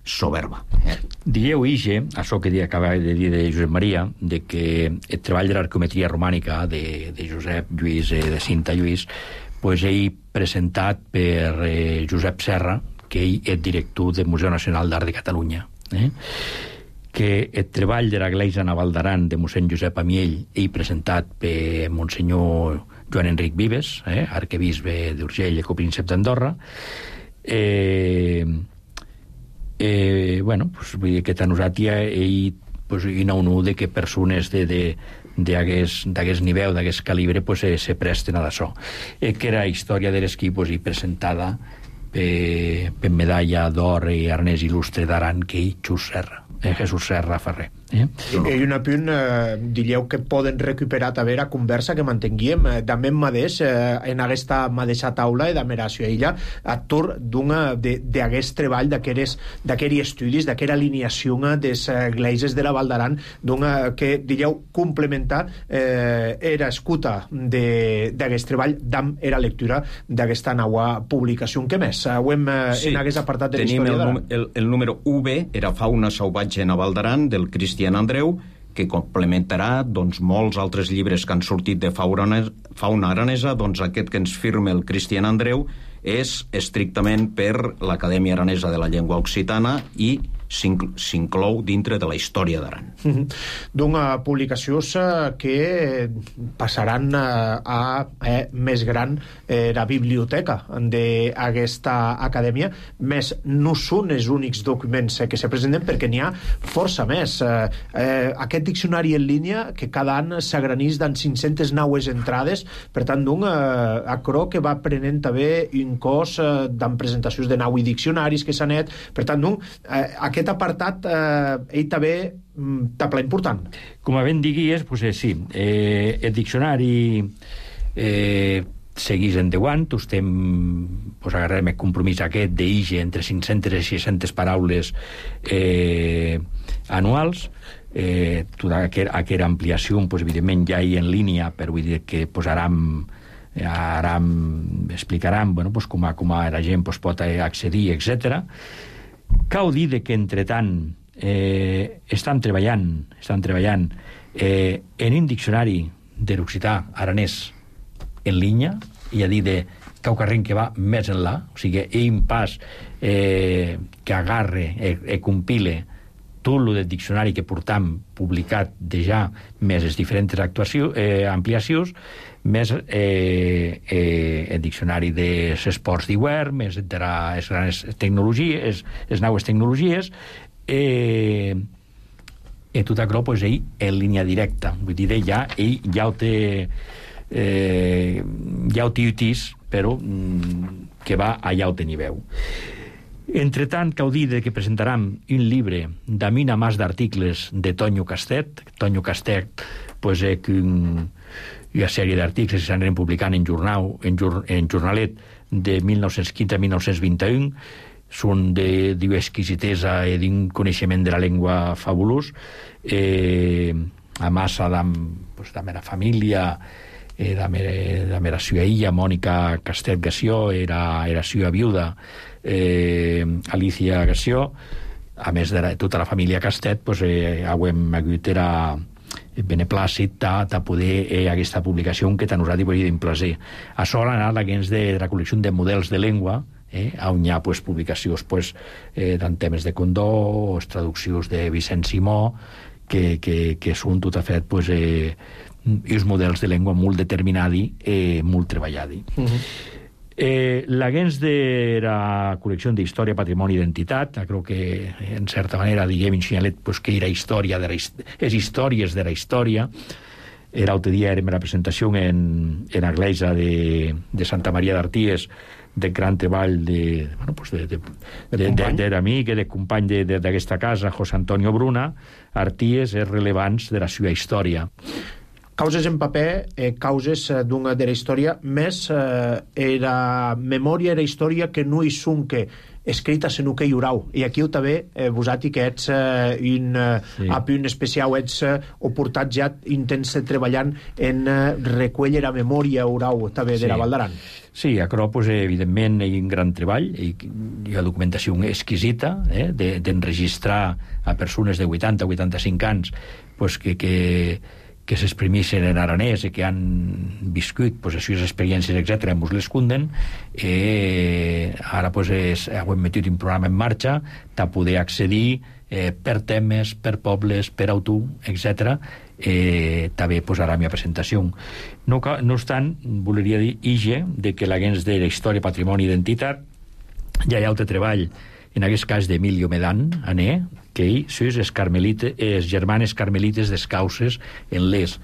O: soberba. Eh?
N: Dieu Ige, això que acaba de dir de Josep Maria, de que el treball de l'arqueometria romànica de, de Josep Lluís, eh, de Cinta Lluís, pues ell presentat per eh, Josep Serra, que ell és director del Museu Nacional d'Art de Catalunya. Eh? Que el treball de l'església naval d'Aran de mossèn Josep Amiell, ell presentat per monsenyor Joan Enric Vives, eh? arquebisbe d'Urgell i copríncep d'Andorra. Eh, eh, bueno, pues, vull dir que a nosaltres ell pues, hi ha un u de que persones de, de, d'aquest nivell, d'aquest calibre, pues, eh, se presten a d'això. Eh, que era història de l'esquí pues, i presentada per, per medalla d'or i arnès il·lustre d'Aran que ell, Xus Serra, eh, Jesús Serra Ferrer. Eh?
A: I un apunt, eh, diríeu que poden recuperar també la conversa que mantenguíem eh, també en madeix, eh, en aquesta mateixa taula de Meracio Illa, actor d'aquest treball, d'aquests estudis, d'aquesta alineació de les esglésies de la Val d'Aran, que, diríeu, complementar eh, era escuta d'aquest treball d'am era lectura d'aquesta nova publicació. Què més? Ho hem eh, sí. en aquest apartat de la història d'Aran.
O: El, el número U B era Fauna salvatge a Val d'Aran, del Cristian Andreu, que complementarà doncs, molts altres llibres que han sortit de fauna aranesa. Doncs aquest que ens firma el Cristian Andreu és estrictament per l'Acadèmia Aranesa de la Llengua Occitana i s'inclou dintre de la història d'Aran.
A: Mm-hmm. D'una publicació que passaran a, a, a més gran eh, la biblioteca d'aquesta acadèmia, més no són els únics documents eh, que se presenten, perquè n'hi ha força més. Eh, eh, aquest diccionari en línia, que cada any s'agranís d'en cinc-centes naues entrades, per tant, d'un eh, acro que va prenent també un cos eh, d'en presentacions de nau i diccionaris que s'han net, per tant, d'un, eh, aquest aquest apartat eh, ell també t'apla important.
N: Com ben diguies, pues, eh, sí, eh, el diccionari eh, seguís endeuant, estem pues, agarrem el compromís aquest d'Ige entre cinc-centes i sis-centes paraules eh, anuals. Eh, tota aquesta ampliació, pues, evidentment, ja hi en línia, però vull dir que pues, aram, aram explicaran bueno, pues, com, a, com a la gent pues, pot accedir, etcètera. Cal dir que, entretant, eh, estan treballant, estan treballant eh, en un diccionari de l'occità aranès en línia, i a dir de cau carrent que va més enllà, o sigui, un pas eh, que agarre e, e compile tot el del diccionari que portam publicat de ja més les diferents actuacions, eh, ampliacions, més eh, eh, el diccionari de esports d'hivern, més de les grans tecnologies, les noves tecnologies, eh, i tot això, pues, ell en línia directa. Vull dir, ja, ell ja ho té eh, ja ho té utís, però mm, que va allà ho té nivell. Entre tant, cal dir que presentaram un llibre d'amina mas d'articles de Tonyo Castet. Tonyo Castet, pues, eh, que un una sèrie d'articles que s'aniran publicant en, jornal, en, jur, en jornalet de mil nou-cents quinze a mil nou-cents vint i u, són de d'exquisitesa i d'un coneixement de la llengua fabulós, eh, a massa de, pues, de mera família, eh, de, mera, de mera sua illa, Mònica Castet Gassió, era, era sua viuda, eh, Alicia Gassió, a més de la, tota la família Castet, pues, eh, hem hagut era beneplàcit de poder eh, aquesta publicació que a nosaltres volia d'un plaer. Això l'ha anat la gens de la col·lecció de models de llengua, eh, on hi ha pues, publicacions pues, eh, d'en temes de Condó, o traduccions de Vicent Simó, que, que, que són tot a fet pues, eh, uns models de llengua molt determinadi, eh, molt treballadi. Uh-huh. Eh, L'Agens de la col·lecció d'Història, Patrimoni i Identitat, crec que, en certa manera, diguem, enxinyalet, pues, que era història de la, és històries de la història. L'altre dia era la presentació en, en l'església de, de Santa Maria d'Arties, de gran treball de, bueno, pues de, de, de, de, de l'amic, de company d'aquesta casa, José Antonio Bruna, Arties és rellevants de la seva història.
A: Causes en paper, eh, causes eh, d'una de la història, més eh, era memòria era història que no hi sunque escrita senu que hi haurà. I aquí també eh, vosati que ets eh, un eh, sí. api un especial, ets eh, o portat ja intents treballant en eh, recueller la memòria haurà també de sí. la Val d'Aran.
N: Sí, a Cro, pues, evidentment, hi ha un gran treball, hi ha documentació exquisita, eh, d'enregistrar a persones de vuitanta a vuitanta-cinc anys pues, que, que que s'exprimeixen en aranès i que han viscut pues, les seves experiències, etcètera, ens les cunden. Eh, ara pues, és, hem metit un programa en marxa de poder accedir eh, per temes, per pobles, per autor, etcètera. Eh, també pues, ara la meva presentació. No, no obstant, voleria dir ige de que l'Agens de la Història, Patrimoni i Identitat ja hi ha altre treball, en aquest cas d'Emilio Medan, ané, que ell són els, els germanes carmelites descauses en l'est.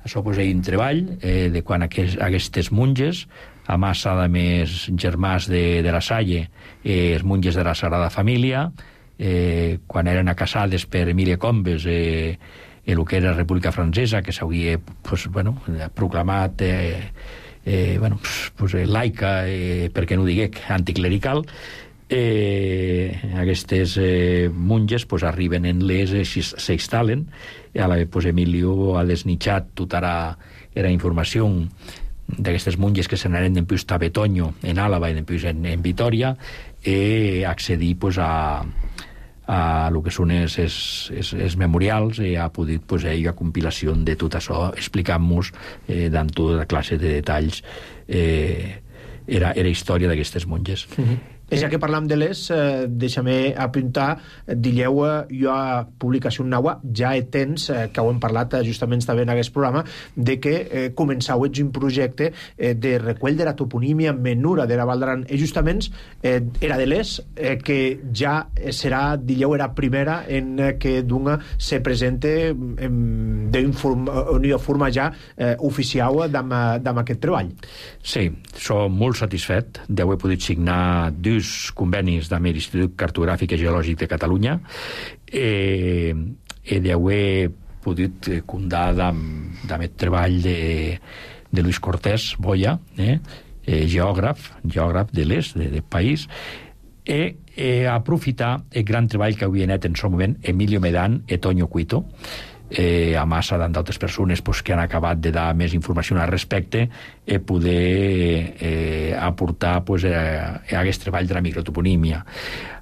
N: Això pues, hi ha un treball eh, de quan aquest, aquestes monges, a massa de més germans de, de la Salle, eh, els monges de la Sagrada Família, eh, quan eren casades per Emília Combes, eh, el que era la República Francesa, que s'hauria pues, bueno, proclamat eh, eh, bueno, pues, pues, laica, eh, perquè no diguec anticlerical. Eh, aquestes eh, monges pues, arriben en les, eh, s'instal·len, i a la vegada pues, Emilio ha desnitjat tota la, la informació d'aquestes monges que se n'aren d'empús a Betoño, en Àlava, i d'empús en, en Vitoria, i accedir pues, a, a lo que són els, els, els, els memorials, i ha pogut pues, hi ha compilació de tot això, explicant-nos eh, amb tota la classe de detalls eh, era, era història d'aquestes monges.
A: Mm-hmm. Ja que parlam de les, eh, deixa'm apuntar, dilleu, eh, jo a publicació naua ja he tens, eh, que ho hem parlat eh, justament també en aquest programa, de que eh, començau ets un projecte eh, de recull de la toponímia menura de la Val d'Aran, i justament eh, era de les, eh, que ja serà, dilleu, era primera en eh, que d'una se presente d'una forma ja eh, oficial d'am aquest treball.
N: Sí, som molt satisfet d'haver pogut signar dos convenis amb l'Institut Cartogràfic i Geològic de Catalunya eh, i d'haver pogut comptar amb aquest treball de, de Luis Cortés Boya, eh, eh, geògraf, geògraf de l'est, de, del país, i eh, aprofitar el gran treball que havia anat en el moment Emilio Medan i Toño Cuito, eh, a massa d'altres persones pues, que han acabat de dar més informació al respecte i poder eh, aportar pues, a, a aquest treball de la microtoponímia.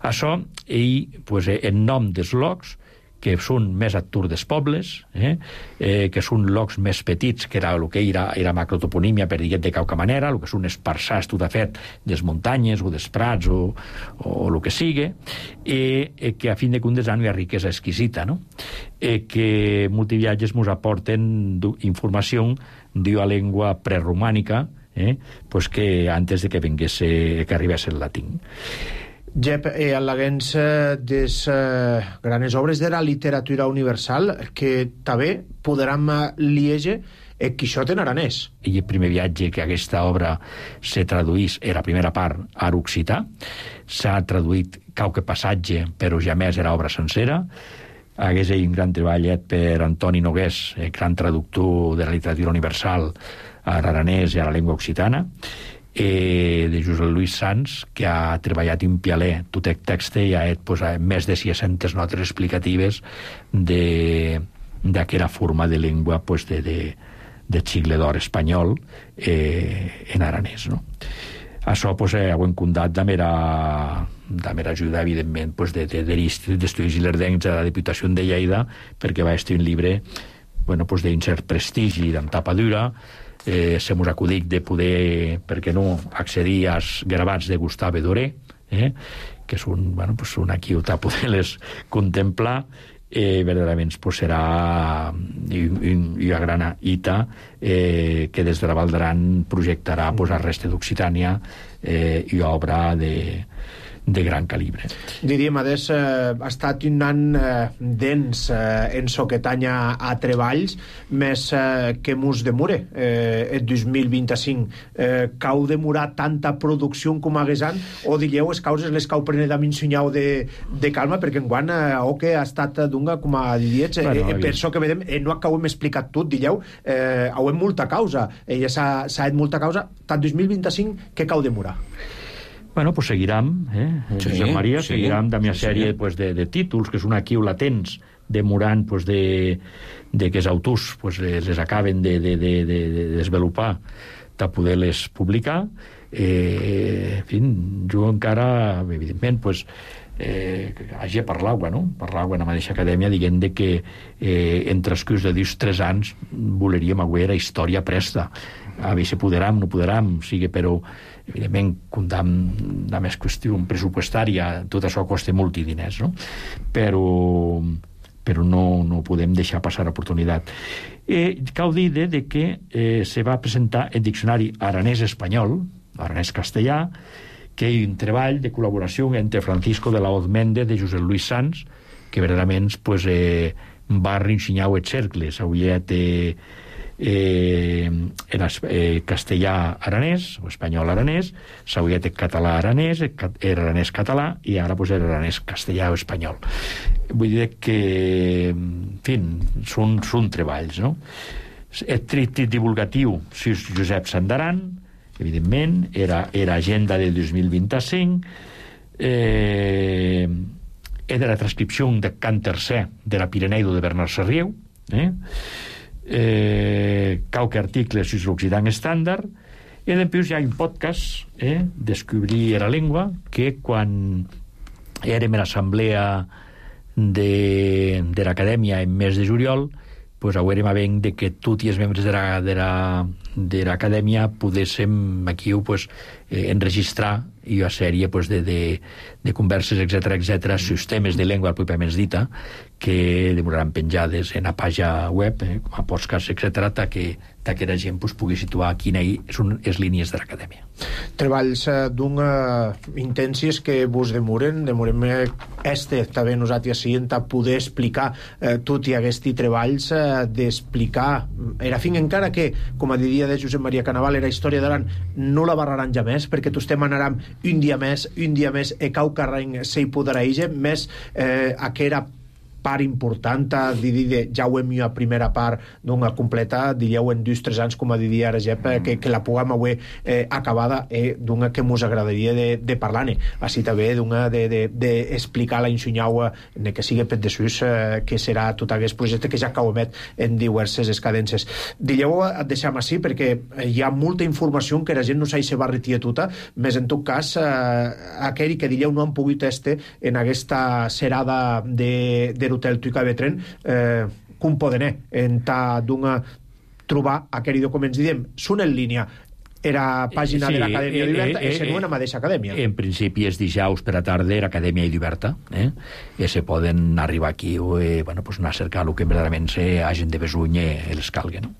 N: Això, ell, pues, en nom dels locs, que són més atur dels pobles, eh, eh, que són locs més petits, que era el que era, era macrotoponímia, per dir-ho de qualque manera, el que són esparçats tot a fet des muntanyes o dels prats o, o el que sigui, i eh, que a fin de comptes hi ha riquesa exquisita, no? Eh, que multiviatges ens aporten informació d'una llengua preromànica, eh, pues que antes de que vengués, que arribés el latí.
A: Jep, eh, al·leguents eh, des eh, granes obres de la literatura universal que també podran liege eh, Quixot en aranès.
N: I el primer viatge que aquesta obra se traduís era la primera part a l'occità, s'ha traduït qualque passatge, però ja més era obra sencera. Hagués un gran treball per Antoni Nogués, el gran traductor de la literatura universal a l'aranès i a la llengua occitana, eh, de Josep Lluís Sans, que ha treballat un pialer tot el text i ha fet pues, més de sis-centes notes explicatives d'aquella forma de llengua pues, de, de, de xicle d'or espanyol eh, en aranès, no? Això pues, eh, ho hem contat de mera, de mera ajuda, evidentment, pues, de, de, de l'Institut d'Estudis Ilerdencs de la Diputació de Lleida, perquè va estar un llibre bueno, pues, d'un cert prestigi, d'en tapa dura, eh, se mos acudic de poder, per què no, accedir als gravats de Gustave Doré, eh, que és un, bueno, pues una quiuta poder-les contemplar, eh, verdaderament pues, serà una gran ita eh, que des de la Val d'Aran projectarà pues, el reste d'Occitània eh, i obra de de gran calibre.
A: Diríem, Adés, eh, ha estat un any eh, dens eh, en so que tanya a treballs, més eh, que mos demore eh, el dos mil vint-i-cinc. Eh, cau demorar tanta producció com hagués any, o diríeu les causes les cau prenent amb un senyal de, de calma, perquè enguany eh, o que ha estat dunga, com a diets, eh, bueno, eh, per això que vedem, eh, no acabem explicat tot, diríeu, eh, hauem molta causa, eh, ja s'ha fet molta causa, tant dos mil vint-i-cinc que cau demorar.
N: Bueno, pues seguirem, eh? Sí, Josep Maria, sí, seguirem de la sèrie sí. pues, de, de títols, que és una aquí latents, demorant pues, de, de que els autors pues, les acaben de, de, de, de, de desvelopar de poder-les publicar. Eh, en fi, jo encara, evidentment, pues, eh, hagi de parlar, no? Parlar en la mateixa acadèmia, dient de que eh, entre els que us de dius tres anys voleríem avui era història presta. A veure si poderam, no poderam, sigui, però evidentment, comptant de més qüestió pressupostària, tot això costa molts diners, no? Però, però no, no podem deixar passar l'oportunitat. Eh, cal dir de, de que eh, se va presentar el diccionari aranès-espanyol, aranès-castellà, que hi ha un treball de col·laboració entre Francisco de la Hoz Méndez de Josep Luis Sans, que verdaderament pues, eh, va reensenyar els cercles. Avui té eh, en eh, castellà-aranès, o espanyol-aranès, s'hauria té català-aranès, era aranès-català, i ara pues, era aranès-castellà o espanyol. Vull dir que, en fi, són, són treballs, no? El tríptic divulgatiu, si és Josep Sandaran, evidentment, era, era agenda del dos mil vint-i-cinc, eh, era la transcripció de Cant Tercer de la Pireneido de Bernard Sarrieu, eh? Eh, qualque article sus l'Occident estàndard, i després hi ha un podcast, eh, Descobrir la llengua, que quan érem a l'assemblea de, de l'acadèmia en mes de juliol, pues haurem a veure de que tots els membres de la, de la, de l'acadèmia poguéssim aquí pues, eh, enregistrar i una sèrie pues, de, de, de converses, etcètera, etcètera, sus temes de llengua pròpiament dita, que demoraran penjades en la pàgina web, eh, com a podcast, etcètera, ta que, ta que la gent pues, pugui situar quina són les línies de l'acadèmia.
A: Treballs eh, d'un eh, intensies que vos demoren, demorem eh, este, també nosaltres siguent a poder explicar eh, tot i aquests treballs eh, d'explicar, era fin encara que, com a diria de Josep Maria Canaval, era història d'Aran, no la barraran ja més, perquè tots estem anant un dia més, un dia més, e cau carreny se hi podrà ige, més eh, a que era part important, a dir de ja ho hem a primera part d'una completa, diríeu en dos o tres anys, com a diria ara Jep, que, que la puguem avui eh, acabada eh, d'una que mos agradaria de, de parlar-ne, així també d'una d'explicar de, de la ensenyau de que sigui pet de sus, eh, que serà tot aquest projecte que ja caumet en diverses escadences. Diríeu, et deixem així, perquè hi ha molta informació que la gent no s'hi se va retirar tota, més en tot cas, eh, aquell que diríeu no han pogut este en aquesta serada de, de l'hotel Tuica Betren, eh, com poden entrar d'una trobar aquells documents, diem, són en línia, era pàgina sí, de l'Acadèmia eh, Oberta, eh, eh, en una mateixa acadèmia.
N: En principi és dijous per a tarda l'Acadèmia Oberta, eh? I se poden arribar aquí o eh, bueno, pues anar a cercar el que verdaderament se hagin de besuny i els calgui, no?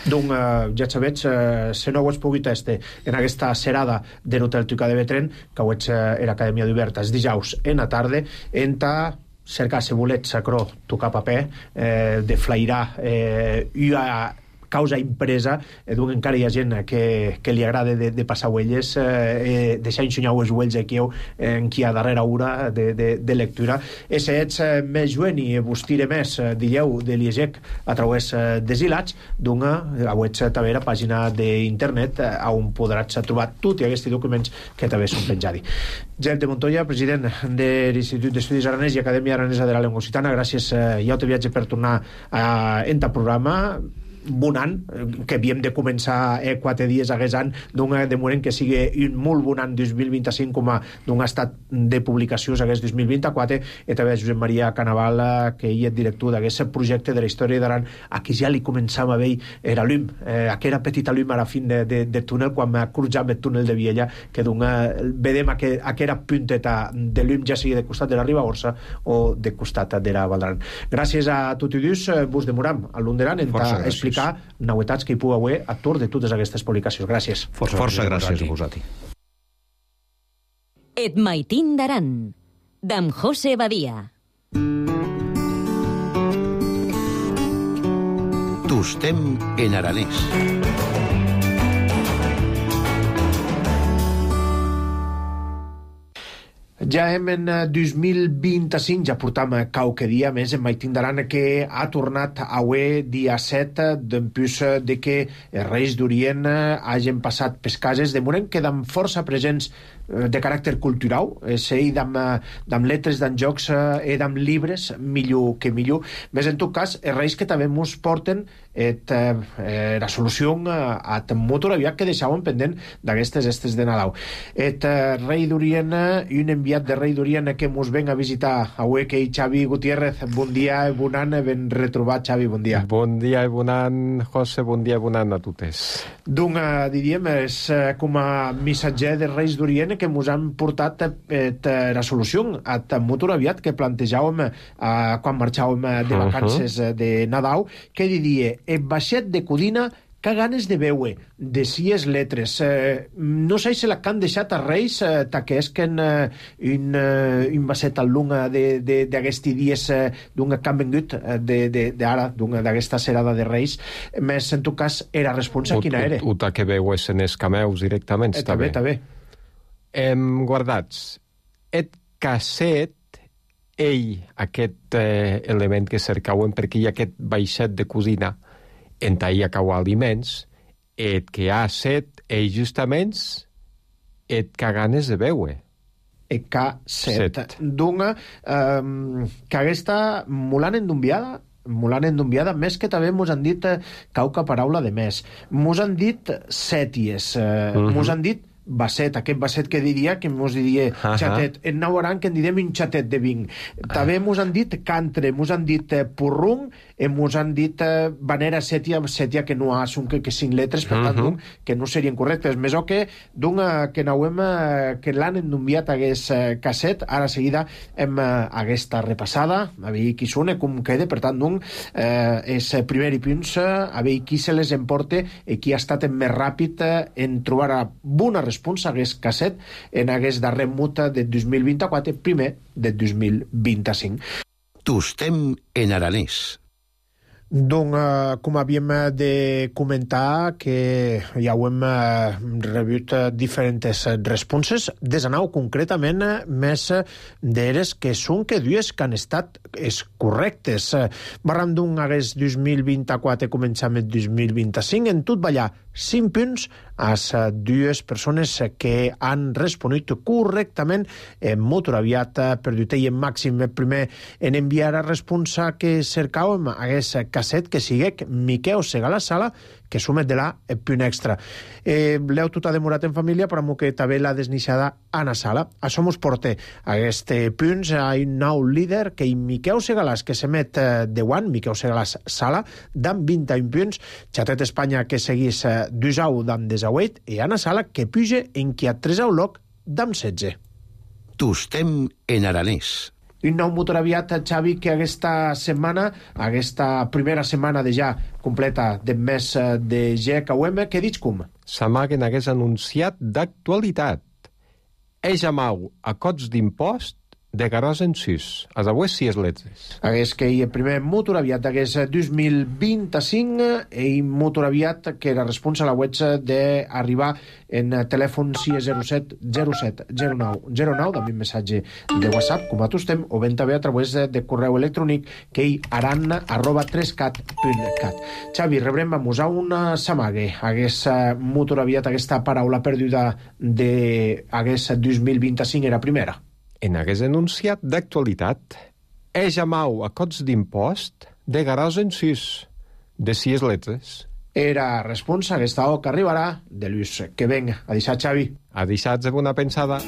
A: Donc, eh, ja sabets, eh, si no ho has pogut este en aquesta serada de l'hotel Tuica de Betren, que ho ets eh, l'Acadèmia Oberta, és dijous en la tarda, entra cercar, si volets, sacró, tocar paper, eh, de flairar eh, una causa impresa, eh, doncs encara hi ha gent que, que li agrada de, de passar huelles, eh, deixar ensenyar els ulls aquí eh, en qui a darrera hora de, de, de lectura. E si ets eh, més joven i vos tire més, eh, dieu, de l'IEGEC a través eh, des ilats, doncs a web també la pàgina d'internet eh, on podràs trobar tots aquests documents que també són penjats. Jep de Montoya, president de l'Institut d'Estudis Aranès i Acadèmia Aranesa de la Llengua Occitana, gràcies eh, i ja te viatge per tornar a, a entrar programa. bon any, que havíem de començar eh, quatre dies hagués any, d'un de moment que sigui un molt bon any dos mil vint-cinc com a d'un estat de publicacions hagués dos mil vint-quatre, i també Josep Maria Canaval, que ell és director d'aquest projecte de la història d'Aran, a qui ja li començam a veure era llum, eh, aquella petita llum a la fin de, de, de túnel, quan crujam el túnel de Viella, que d'un vedem aquella punteta de llum, ja sigui de costat de la Ribagorça o de costat de la Valdaran. Gràcies a tots i dos, vos demoram a l'Underan en explicar novetats que hi pugui haver a tour de totes aquestes publicacions. Gràcies.
O: Força, Força gràcies a vosaltres.
B: Et maitin d'Aran, d'en José Badia.
M: Tostem en aranès.
A: Ja hem en dos mil vint-cinc, ja portam qualque dia més en Maitin d'Aran, que ha tornat a avui dia set, d'empús de que els Reis d'Orient hagin passat pes cases, de moment queden força presents de caràcter cultural, sei d'amb letres, d'amb jocs i d'amb llibres, millor que millor. Més en tot cas, els Reis que també mos porten et, eh, la solució a molt aviat que deixaven pendent d'aquestes estes de Nadal. Et eh, Rei d'Orient, un enviat de Rei d'Orient que mos ven a visitar avui, que és Xavi Gutiérrez. Bon dia i bon any, ben retrobat, Xavi, bon dia.
P: Bon dia i bon any, José, bon dia i bon any a totes.
A: Doncs, eh, diríem, és eh, com a missatger de Reis d'Orient que mos han portat et, eh, la solució a molt aviat que plantejàvem eh, quan marxàvem de vacances uh -huh. de Nadal, que diria, el baixet de Codina que ganes de veure, de sies letres. Eh, no sé si la que han deixat a Reis, eh, que és que en, eh, un, eh, un baset al lunga d'aquests dies eh, d'un que han vengut d'ara, d'aquesta serada de Reis, més en tot cas era responsa quina era.
P: O que veues en els cameus directament, està bé.
A: Està bé,
P: Hem guardats et casset, ell, aquest eh, element que cercauen, perquè hi ha aquest baixet de cosina en taia cau aliments, et que ha set, ell justament, et que ganes de veure.
A: Et que set. D'una, eh, que aquesta molt endumbiada, molt endumbiada, més que també mos han dit eh, cauca paraula de més. Mos han dit sèties, eh, uh -huh. mos han dit basset, aquest basset que diria que mos diria uh -huh. xatet, en Nauaran que en direm un xatet de vinc. També mos han dit cantre, mos han dit eh, purrung, i mos han dit eh, vanera sètia, sètia que no ha son que, que cinc letres, per tant, uh -huh. que no serien correctes. Més o que, d'un que n'hauem eh, que l'han endumbiat hagués eh, casset, ara seguida hem eh, aquesta repassada, a veure qui sona, com queda, per tant, d'un eh, és primer i punts, a veure qui se les emporta i qui ha estat més ràpid eh, en trobar bona resposta hagués casset en hagués darrer muta de dos mil vint-quatre, primer de dos mil vint-cinc.
M: Tostem en aranès.
A: Doncs, eh, com havíem de comentar, que ja ho hem eh, rebut eh, diferents responses, desanau concretament eh, més d'eres que són que dues que han estat és correctes. Eh, Barram d'un hagués dos mil vint-quatre, començam el dos mil vint-cinc, en tot ballar cinc punts a les dues persones que han responut correctament en molt aviat per dir en màxim. El primer en enviar a responsa que cercàvem hagués casset que siguec Miqueu Segalà Sala, que sumet de la punt extra. Eh, L'heu tot ha demorat en família, però que també l'ha desnixada Anna Sala. Això mos porta a aquest punts a un nou líder, que hi Miqueu Segalàs, que s'emet de one, Miqueu Segalàs Sala, d'amb vint-i-un punts, Xatet Espanya, que seguís dusau d'amb desauet, i Anna Sala, que puja en qui a tresau loc d'amb setze.
M: Tostem en aranès.
A: Un nou motor aviat, Xavi, que aquesta setmana, aquesta primera setmana de ja completa de mes de G K U M, que dic com?
P: S'amaguen hagués anunciat d'actualitat. Eix amau a cots d'impost de garòs en sus, a avui sis letres.
A: Hagués que hi el primer motor aviat hagués dos mil vint-cinc, i motor aviat que era responsable a la web d'arribar en telèfon sis zero set zero set zero nou zero nou, també un missatge de WhatsApp, com a tostem, o ben també a través de correu electrònic que hi aran arroba tres cat punt cat. Xavi, rebrem a musar una samague. Hagués motor aviat aquesta paraula perduda de hagués dos mil vint-cinc era primera.
P: En hagués anunciat d'actualitat. Eix amau a cots d'impost de garòs en sus, de sis letres.
A: Era responsa aquesta O que arribarà de Lluís. Que venga. A deixar, Xavi.
P: A deixar de bona pensada.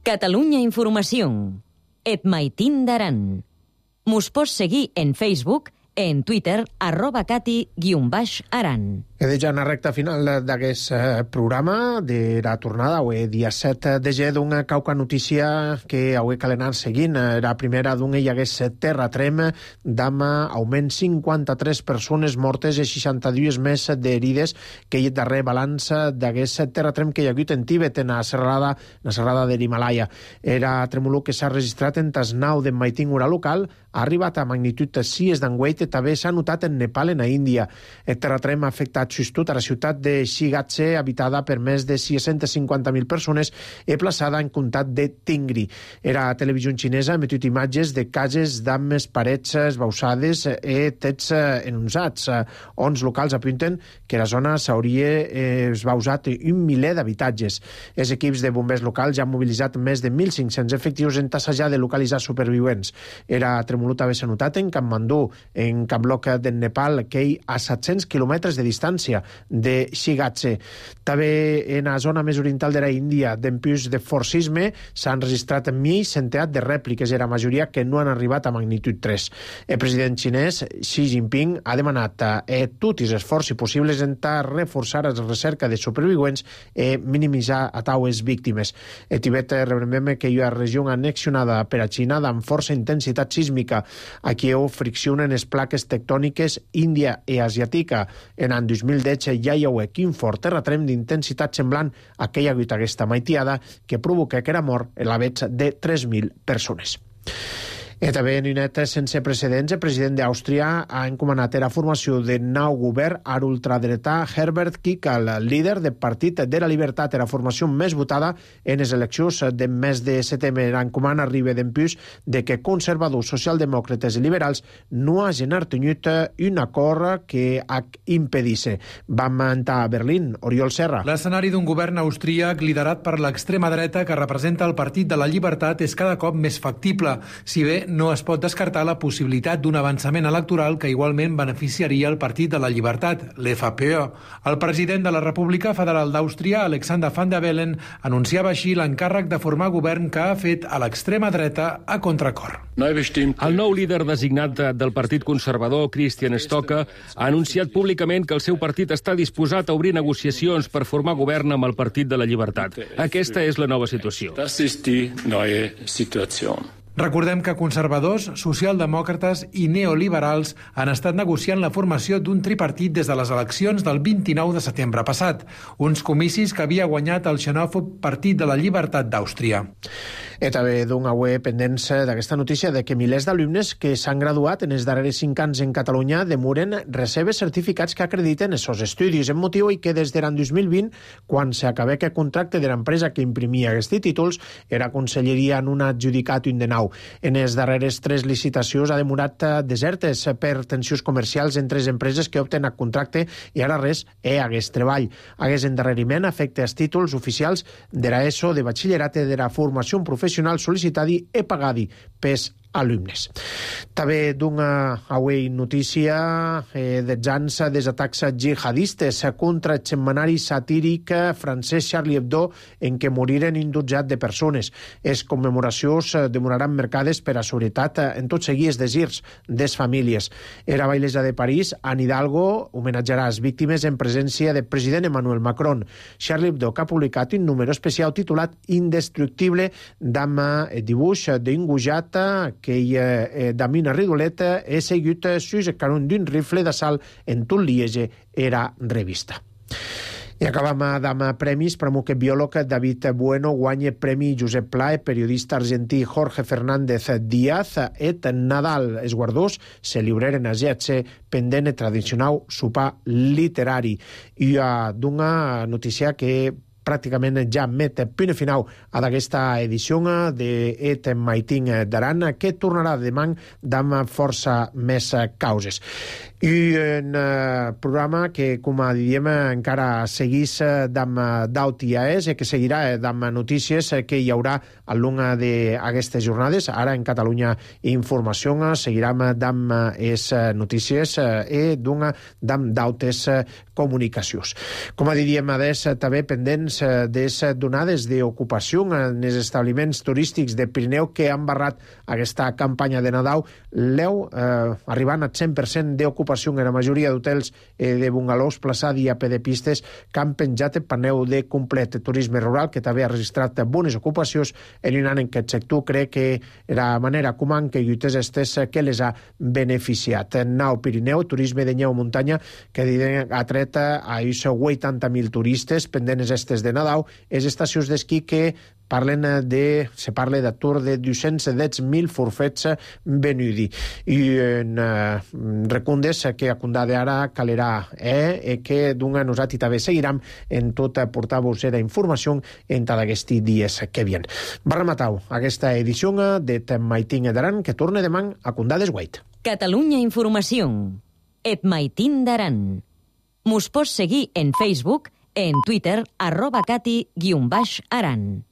B: Catalunya Informació. Et maitin d'aran. Mos pots seguir en Facebook, en Twitter, arroba cati guion baix aran.
A: He de ja en la recta final d'aquest programa de la tornada, avui dia set de gener, d'una cauca notícia que avui cal anar seguint. La primera d'una hi hagués terratrem d'ama augment cinquanta-tres persones mortes i seixanta-dues més d'herides que hi ha darrer balanç d'aquest terratrem que hi ha hagut en Tíbet, en la serrada, la serrada de l'Himalaya. Era tremolor que s'ha registrat en Tasnau de Maitingura local, ha arribat a magnitud sis d'enguait i també s'ha notat en Nepal, en a Índia. El terratrem ha afectat justut a la ciutat de Shigatse, habitada per més de sis-centes cinquanta mil persones i plaçada en comtat de Tingri. Era a televisió xinesa, ha emetut imatges de cases d'ambes parets esbausades i tets enonsats. Ons locals apunten que la zona s'hauria esbausat un miler d'habitatges. Els equips de bombers locals ja han mobilitzat més de mil cinc-cents efectius en tassejar de localitzar supervivents. Era tremolut haver s'ha notat en Kathmandu, en Kamlok del Nepal, que hi a set-cents quilòmetres de distància de Shigatse. També en la zona més oriental de la Índia, d'empús de forcisme, s'han registrat mig centenar de rèpliques, i la majoria que no han arribat a magnitud tres. El president xinès Xi Jinping ha demanat a tots els esforços possibles en reforçar la recerca de supervivents i minimitzar a taues víctimes. El Tibet, recordem que hi ha regió annexionada per a Xina amb força intensitat sísmica. Aquí ho friccionen les plaques tectòniques índia i asiàtica. En l'any dos mil deu ja hi ha un fort terratrem d'intensitat semblant a aquella que hi ha hagut aquesta maitiada que provoca que era mort en la veig de tres mil persones. I també en una neta sense precedents, el president d'Àustria ha encomanat la formació de nou govern a l'ultradretà Herbert Kickl, líder del Partit de la Libertat, la formació més votada en les eleccions de mes de setembre. L'encomana arriba d'empús de que conservadors, socialdemòcrates i liberals no hagin artenyut un acord que impedisse. Vam entrar a Berlín. Oriol Serra.
Q: L'escenari d'un govern austríac liderat per l'extrema dreta que representa el Partit de la Llibertat és cada cop més factible, si bé no es pot descartar la possibilitat d'un avançament electoral que igualment beneficiaria el Partit de la Llibertat, l'F P Ö. El president de la República Federal d'Àustria, Alexander Van der Bellen, anunciava així l'encàrrec de formar govern que ha fet a l'extrema dreta a contracor.
R: El nou líder designat del Partit Conservador, Christian Stocker, ha anunciat públicament que el seu partit està disposat a obrir negociacions per formar govern amb el Partit de la Llibertat. Aquesta és la nova situació.
Q: Recordem que conservadors, socialdemòcrates i neoliberals han estat negociant la formació d'un tripartit des de les eleccions del vint-i-nou de setembre passat, uns comicis que havia guanyat el xenòfob Partit de la Llibertat d'Àustria.
A: I també d'una web pendents d'aquesta notícia de que milers d'alumnes que s'han graduat en els darrers cinc anys en Catalunya demoren rebre certificats que acrediten els seus estudis, en motiu i que des de l'any dos mil vint, quan s'acabé aquest contracte de l'empresa que imprimia aquests títols, era conselleria en un adjudicat un de nou. En les darreres tres licitacions ha demorat desertes per tensions comercials entre les empreses que opten a contracte i ara res hi hagués treball. Hagués endarreriment afecta els títols oficials de l'ESO, de batxillerat i de la formació professional sol·licitadi i pagadi pels alumnes. També d'una avui notícia eh, dels anys dels atacs jihadistes contra el setmanari satíric francès Charlie Hebdo, en què moriren un dotzat de persones. Les commemoracions demoraran mercades per a seguretat en tot seguir els desirs des famílies. Era bailesa de París, Anne Hidalgo homenatjarà les víctimes en presència del president Emmanuel Macron. Charlie Hebdo, que ha publicat un número especial titulat Indestructible, amb el dibuix d'un gojat que hi eh, Damina Ridoleta he seguit sus el canon d'un rifle d'assalt en tot Liege era revista. I acabam amb premis. Premu que biòleg David Bueno guanya Premi Josep Pla, periodista argentí Jorge Fernández Díaz et Nadal. Els guardons se lliuraren a G H C pendent el tradicional sopar literari. I d'una notícia que pràcticament ja met punt final a d'aquesta edició d'Et Maitin d'Aran, que tornarà demà amb força més causes. I en eh, programa que, com a diem, encara seguís d'am d'aut i aes, que seguirà d'am notícies que hi haurà al long d'aquestes jornades. Ara en Catalunya Informació seguirem d'am es notícies i d'un d'am d'autes comunicacions. Com a diríem, adés, també pendents des donades d'ocupació en els establiments turístics de Pirineu que han barrat aquesta campanya de Nadal, l'eu eh, arribant al cent per cent d'ocupació en la majoria d'hotels eh, de bungalows, plaçadi a de pistes que han penjat el paneu de complet turisme rural, que també ha registrat bones ocupacions en un any en què el sector crec que la manera com han que lluites estes que les ha beneficiat. Nau Pirineu, turisme de neu muntanya, que ha tret a vuitanta mil turistes pendents estes de Nadal, és estacions d'esquí que parlen de, se parla d'atur de dos-cents deu mil forfets venudi. I en eh, recundes que a Condà d'Ara calerà eh, que d'una nosaltres també seguirem en tot portar-vos la informació en tots aquests dies que vien. Va rematar aquesta edició d'Et Maitin d'Aran, que torna demà a Condà d'Esguait.
B: Catalunya Informació. Et Maitin d'Aran. Mos pots seguir en Facebook, en Twitter, arroba cati guion baix aran.